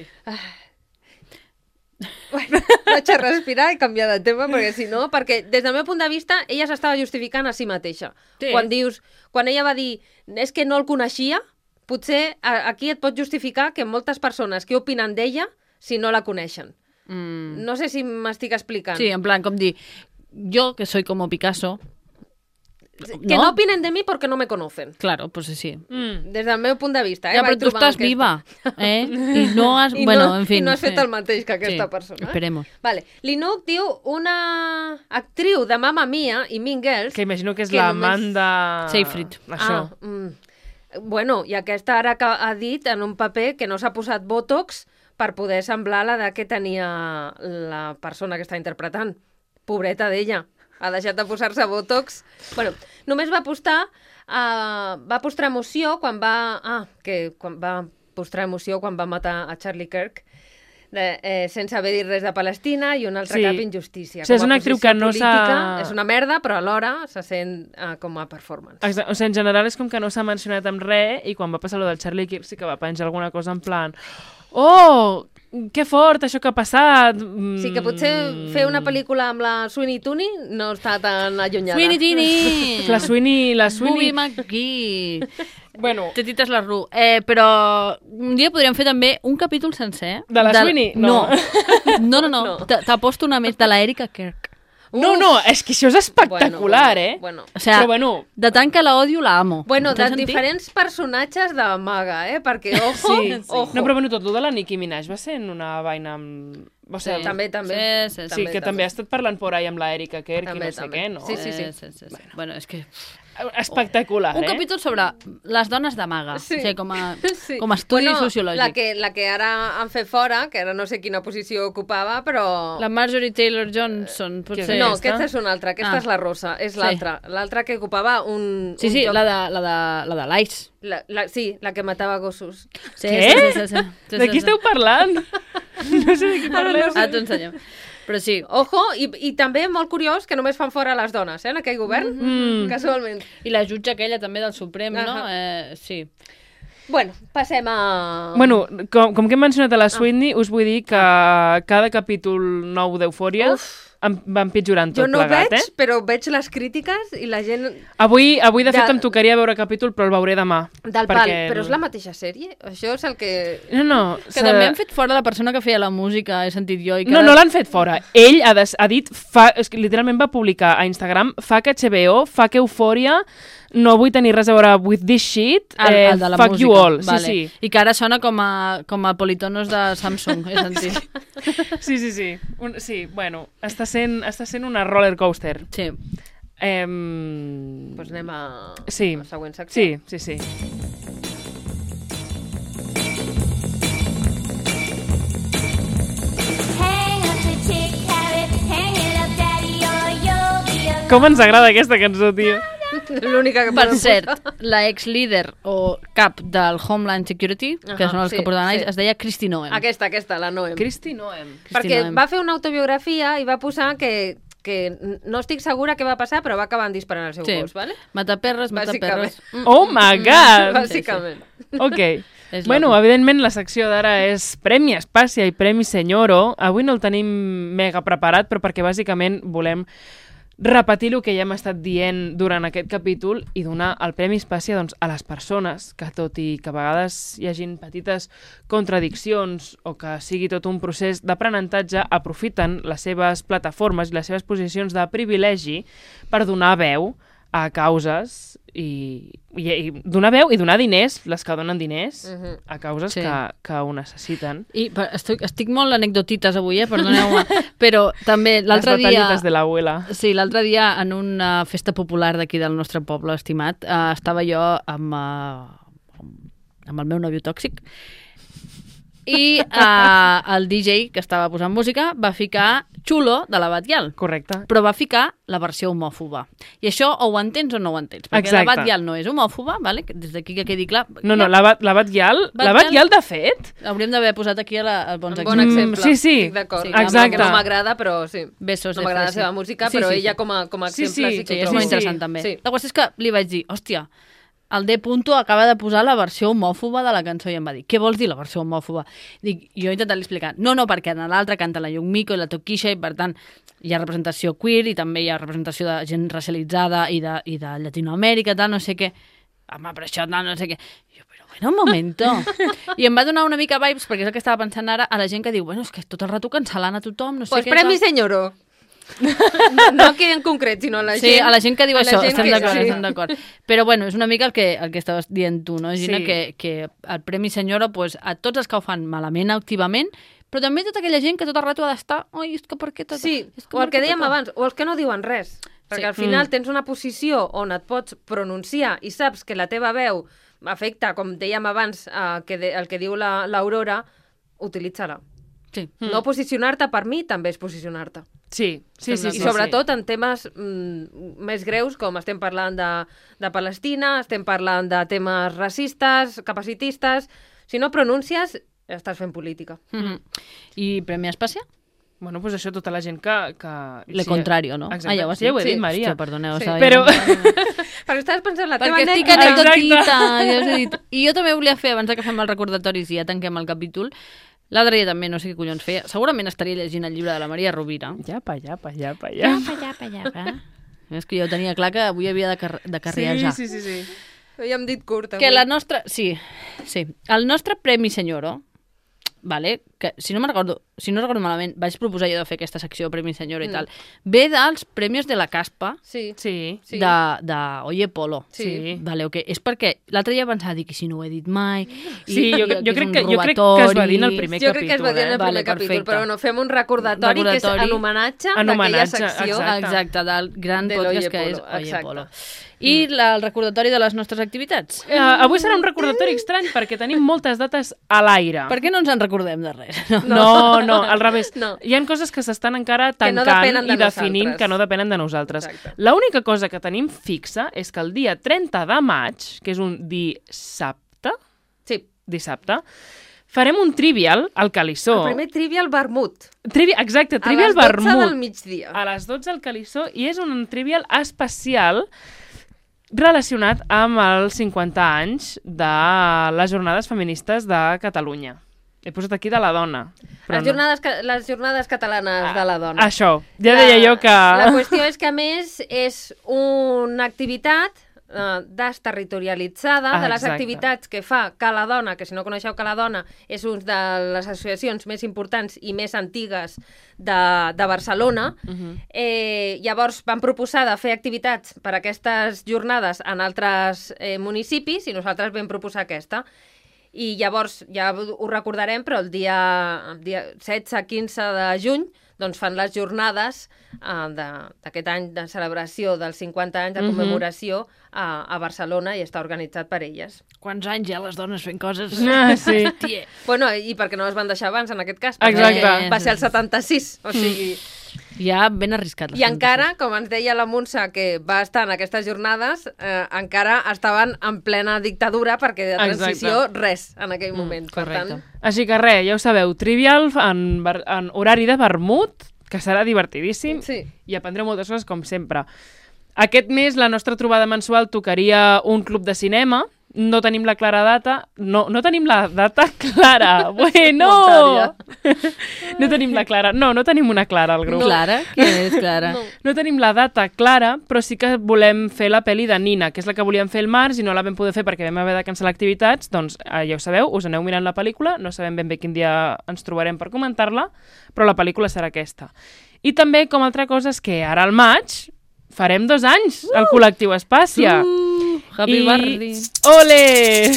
Bueno, vaig a respirar i canviar de tema, perquè si no, perquè des del meu punt de vista ella s'estava justificant a si mateixa. Sí. Quan dius, quan ella va dir és que no el coneixia, potser a, aquí et pot justificar que moltes persones que opinen d'ella si no la coneixen. Mm. No sé si m'estic explicant. Sí, en plan, com dir, yo que soy como Picasso, Que no opinen de mi porque no me conocen. claro, pues sí. Mm. Des del meu punt de vista. Eh? Ja, però Vaig tu trobar estàs aquesta- viva, eh? I no has... I bueno, no, en fin. I no has fet sí. el mateix que aquesta Sí, persona. eh? esperemos. Vale. L'Inuk diu una actriu de Mamma Mia i Mean Girls... Que imagino que és Que l'Amanda... Seyfried. Això. Ah, mm. Bueno, i aquesta ara que ha dit en un paper que no s'ha posat Botox per poder semblar la de que tenia la persona que està interpretant. Pobreta d'ella. Ha deixat de posar-se Botox. Bueno, només va postar... Uh, va postrar emoció quan va... Ah, que quan va postrar emoció quan va matar a Charlie Kirk de, eh, sense haver dit res de Palestina i un altre Sí. cap injustícia. O sigui, és Com a una actriu posició que no política, s'ha- És una merda, però alhora se sent uh, com a performance. Exacte. O sigui, en general és com que no s'ha mencionat amb res i quan va passar lo del Charlie Kirk sí que va penjar alguna cosa en plan oh, que fort això que ha passat. Mm. Sí, que potser fer una pel·lícula amb la Sweeney Tooney no està tan allunyada. Sweeney Tini! La Sweeney... La Sweeney Sweeney... McGee! Bueno, Tetites la Ru. Eh, però un dia podríem fer també un capítol sencer. De la Sweeney? No. No. No, no, no. No. T- T'aposto una més de la Erika Kirk. no, no, és que això és espectacular, bueno, eh? Bueno, O sea, Però bueno, de tant que la odio, la amo. bueno Té de sentit? diferents personatges de maga, eh? Perquè, ojo, sí. ojo. No, però bueno, tot el de la Nicki Minaj va ser en una vaina amb... O Sí. sigui, També, també. Sí, sí, sí, que també ha estat parlant por ahí amb la Erika Kerr i També, no sé també. què, no? Sí, sí, sí. sí, sí, sí. Bueno, és que... Espectacular, Un eh? capítol sobre les dones de maga, Sí. o sigui, com a, Sí. com a estudi bueno, sociològic. La que, la que ara han fet fora, que ara no sé quina posició ocupava, però... La Marjorie Taylor Johnson, potser... Què No, aquesta? aquesta és una altra, aquesta Ah. és la rossa, és Sí. l'altra. L'altra que ocupava un... Sí, un sí, lloc- la de, la de, la de l'Ice. La, la, sí, la que matava gossos. Sí, Què? Sí, sí, sí, sí. sí, De qui sí, esteu parlant? No sé de qui parleu. Ah, t'ho ensenyem. Però sí, Ojo, i, i també molt curiós que només fan fora les dones, eh, en aquell govern, Mm. casualment. i la jutge aquella també del Suprem, no? Ahà. Eh, sí. Bueno, passem a... Bueno, com, com que hem mencionat a la Sweetney, us vull dir que cada capítol nou d'Eufòria em va empitjorant tot jo no plegat, veig, eh? però veig les crítiques i la gent... Avui, avui de fet, De- em tocaria veure capítol, però el veuré demà. Del pal, perquè... però és la mateixa sèrie? Això és el que... No, no. Que també han fet fora la persona que feia la música, he sentit jo. I que No, ara- no l'han fet fora. Ell ha, des, ha dit, fa, és que literalment va publicar a Instagram, fa que H B O, fa que Eufòria, no vull tenir res a veure with this shit, El, eh, el de la fuck música. you all. Vale. Sí, I que ara sona com a, com a politonos de Samsung, he sentit. sí. Sí, sí, sí. Un, sí, bueno, està sent, està sent una roller coaster. Sí. Eh, Doncs anem a, Sí. a la següent secció. Sí, sí, sí. Hang up the chick carrot, hang it up, daddy, or you'll be alone. Com ens agrada aquesta cançó, tio. L'única que Per podem cert, posar. la ex-líder o cap del Homeland Security, que Ahà, són els sí, que portaven sí. ells, es deia Kristi Noem. Aquesta, aquesta, la Noem. Cristi Noem. Perquè Noem. va fer una autobiografia i va posar que, que no estic segura què va passar, però va acabar disparant el seu Sí. gos, ¿vale? Mataperres, mataperres. Bàsicament. Oh my god! Bàsicament. Ok. És Bueno, loco. evidentment la secció d'ara és Premi Espàcia i Premi Senyoro. Avui no el tenim mega preparat, però perquè bàsicament volem repetir el que ja hem estat dient durant aquest capítol i donar el Premi Espàcia doncs, a les persones que, tot i que a vegades hi hagin petites contradiccions o que sigui tot un procés d'aprenentatge, aprofiten les seves plataformes i les seves posicions de privilegi per donar veu a causes i, i, i donar veu i donar diners, les que donen diners, Mhm. a causes Sí. que, que ho necessiten. I per, estic, estic molt anecdotites avui, eh? Perdoneu-me. Però també l'altre Les dia... batallites de l'abuela. Sí, l'altre dia en una festa popular d'aquí del nostre poble estimat eh, estava jo amb, eh, amb el meu nòvio tòxic i eh, el D J que estava posant música va ficar Xulo de la Batllal, Correcte. però va ficar la versió homòfoba. I això o ho entens o no ho entens, perquè Exacte. la Batllal no és homòfoba, vale? Des d'aquí que quedi clar. No, no, Ja la, Bat- la Batllal, la Batllal- Batllal, de fet, Hauríem d'haver posat aquí a la, a bons Un bon exemples. exemple. sí, sí. Estic d'acord. Sí, exacte. Que no m'agrada, però sí. Besos, No m'agrada la F, seva sí. música, Sí, però sí, sí. ella com a, com a Sí, exemple sí, sí, que Sí, ho és trobo. molt sí. interessant també. Sí. La qüestió és que li vaig dir, hòstia, el D. Punto acaba de posar la versió homòfoba de la cançó i em va dir, què vols dir la versió homòfoba? Dic, jo he intentat explicar, no, no, perquè en l'altra canta la Yumiko i la Tokisha i per tant hi ha representació queer i també hi ha representació de gent racialitzada i de, i de Llatinoamèrica, tal, no sé què. Home, però això, tal, no sé què. I jo, però bueno, un momento. I em va donar una mica vibes, perquè és el que estava pensant ara, a la gent que diu, bueno, és que tot el rato cancelant a tothom, no sé Pues què. Premi tal. Senyoro. No, no aquí en concret, sinó a la Sí, gent... a la gent que diu a la això, gent estem que- d'acord, sí. estem d'acord. Però bueno, és una mica el que, el que estaves dient tu, no, Gina? Sí. Que, que el Premi Senyora, pues, a tots els que ho fan malament activament, però també tota aquella gent que tot el rato ha d'estar, ai, és que per què tot... Sí, és que o el per que què dèiem tot?" abans, o els que no diuen res. Perquè Sí. al final Mm. tens una posició on et pots pronunciar i saps que la teva veu afecta, com dèiem abans, eh, que de, el que diu la- l'Aurora, utilitza-la. Sí. No posicionar-te, per mi, també és posicionar-te. Sí, sí, sí. I sí, sobretot en temes mm, més greus, com estem parlant de, de Palestina, estem parlant de temes racistes, capacitistes... Si no pronuncies, estàs fent política. Mhm. I Premi Espàcia? Sí. Bueno, pues això, tota la gent que... que... Le contrario, no? Exacte. Ah, ja ho has sí, dit? ho he Sí. dit, Maria. Hòstia, perdoneu, Sí. estava Però- Perquè estaves pensant la teva Perquè estic anècdota. anecdotita, ja us he dit. I jo també volia fer, abans que fem els recordatoris i ja tanquem el capítol, l'altre dia també, no sé què collons feia, segurament estaria llegint el llibre de la Maria Rovira. Llapa, llapa, llapa, llapa. Llapa, llapa, llapa. És que jo tenia clar que avui havia de, car de carriejar. Sí, sí, sí, sí. Ja hem dit curt, Que la nostra... Sí, sí. El nostre Premi Senyoro, vale, que si no me'n recordo, si no recordo malament, vaig proposar jo de fer aquesta secció Premi Senyora i tal, ve dels Premis de la Caspa Sí. Sí. Sí. de, de Oye Polo. Sí. Vale, okay. És perquè l'altre dia pensava, dic, i si no ho he dit mai... Sí, i, jo, i jo, és crec un que, jo crec que es va dir en el robatori. primer Jo capítol. crec que es va dir en el eh? primer Vale, capítol, perfecte. però bueno, fem un recordatori, que Recordatori. és en homenatge En d'aquella homenatge, secció. exacte. Exacte, del gran De podcast l'Oye que és Polo, Oye exacte. Polo. I la, el recordatori de les nostres activitats. Uh, avui serà un recordatori estrany perquè tenim moltes dates a l'aire. Per què no ens en recordem de res? No. No, no, al revés. No. Hi ha coses que s'estan encara Que no tancant depenen de i definint nosaltres. que no depenen de nosaltres. Exacte. L'única cosa que tenim fixa és que el dia trenta de maig, que és un dissabte, Sí. dissabte, farem un trivial al Calissó. El primer trivial vermut. Trivi... Exacte, A trivial les dotze vermut. del migdia. A les dotze al Calissó, i és un trivial especial relacionat amb els cinquanta anys de les jornades feministes de Catalunya. He posat aquí de la dona. però Les jornades, ca- les jornades catalanes de la dona. Això, ja deia jo que... La qüestió és que, a més, és una activitat eh, desterritorialitzada Ah, de les exacte. activitats que fa Cala Dona, que si no coneixeu Cala Dona, és una de les associacions més importants i més antigues de, de Barcelona. Uh -huh. Eh, llavors van proposar de fer activitats per a aquestes jornades en altres eh, municipis i nosaltres vam proposar aquesta. I llavors, ja ho recordarem, però el dia, el dia setze quinze de juny doncs fan les jornades uh, d'aquest any de celebració dels cinquanta anys de Mhm. commemoració a, a Barcelona i està organitzat per elles. Quants anys ja les dones fent coses? Ah, sí. Hòstia. Bueno, i perquè no es van deixar abans, en aquest cas. perquè Exacte. Va ser el setanta-sis, o sigui... Ja ben arriscat. les I encara, fantasies. com ens deia la Montse, que va estar en aquestes jornades, eh, encara estaven en plena dictadura, perquè de transició, Exacte. res, en aquell moment. Per correcte. tant, Així que res, ja ho sabeu, trivial en, ver- en horari de vermut, que serà divertidíssim, sí. i aprendreu moltes coses, com sempre. Aquest mes, la nostra trobada mensual tocaria un club de cinema. No tenim la clara data. No, no tenim la data clara. Bueno! No tenim la clara. No, no tenim una clara al grup. No. Clara? Qui és Clara? No. no tenim la data clara, però sí que volem fer la pel·li de Nina, que és la que volíem fer el març i no la vam poder fer perquè vam haver de cancel·lar activitats. Doncs eh, ja ho sabeu, us aneu mirant la pel·lícula, no sabem ben bé quin dia ens trobarem per comentar-la, però la pel·lícula serà aquesta. I també, com a altra cosa, és que ara al maig farem dos anys al col·lectiu Espàcia. Uh, happy I... birthday. Ole!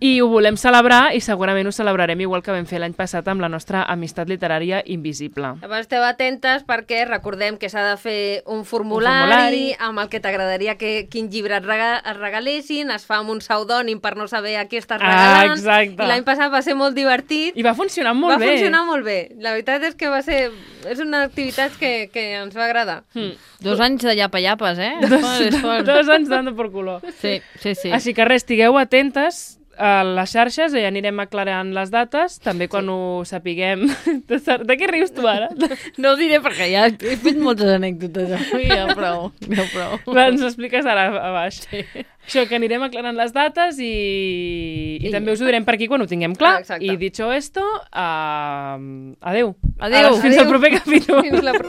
I ho volem celebrar i segurament ho celebrarem igual que vam fer l'any passat amb la nostra amistat literària invisible. Llavors esteu atentes perquè recordem que s'ha de fer un formulari, Un formulari. amb el que t'agradaria que quin llibre et, rega et regalessin, es fa amb un pseudònim per no saber a qui estàs Ah, regalant. exacte. I l'any passat va ser molt divertit. I va funcionar molt va bé. funcionar molt bé. La veritat és que va ser... És una activitat que, que ens va agradar. Mm. Dos anys de llapa-llapes, eh? És fort, és fort. Dos anys dando por culo. Sí, sí, sí. Així que res, estigueu atentes a les xarxes i anirem aclarant les dates, també quan sí. ho sapiguem. De què rius tu ara? No ho diré perquè ja he fet moltes anècdotes avui, ja prou, ja prou. Va, ens ho expliques ara a baix. Sí. Això, que anirem aclarant les dates i, i, I també us ho direm per aquí quan ho tinguem clar. Ah, exacte. I dicho esto, uh, adeu. Adeu. Fins al proper capítol. Fins la pro...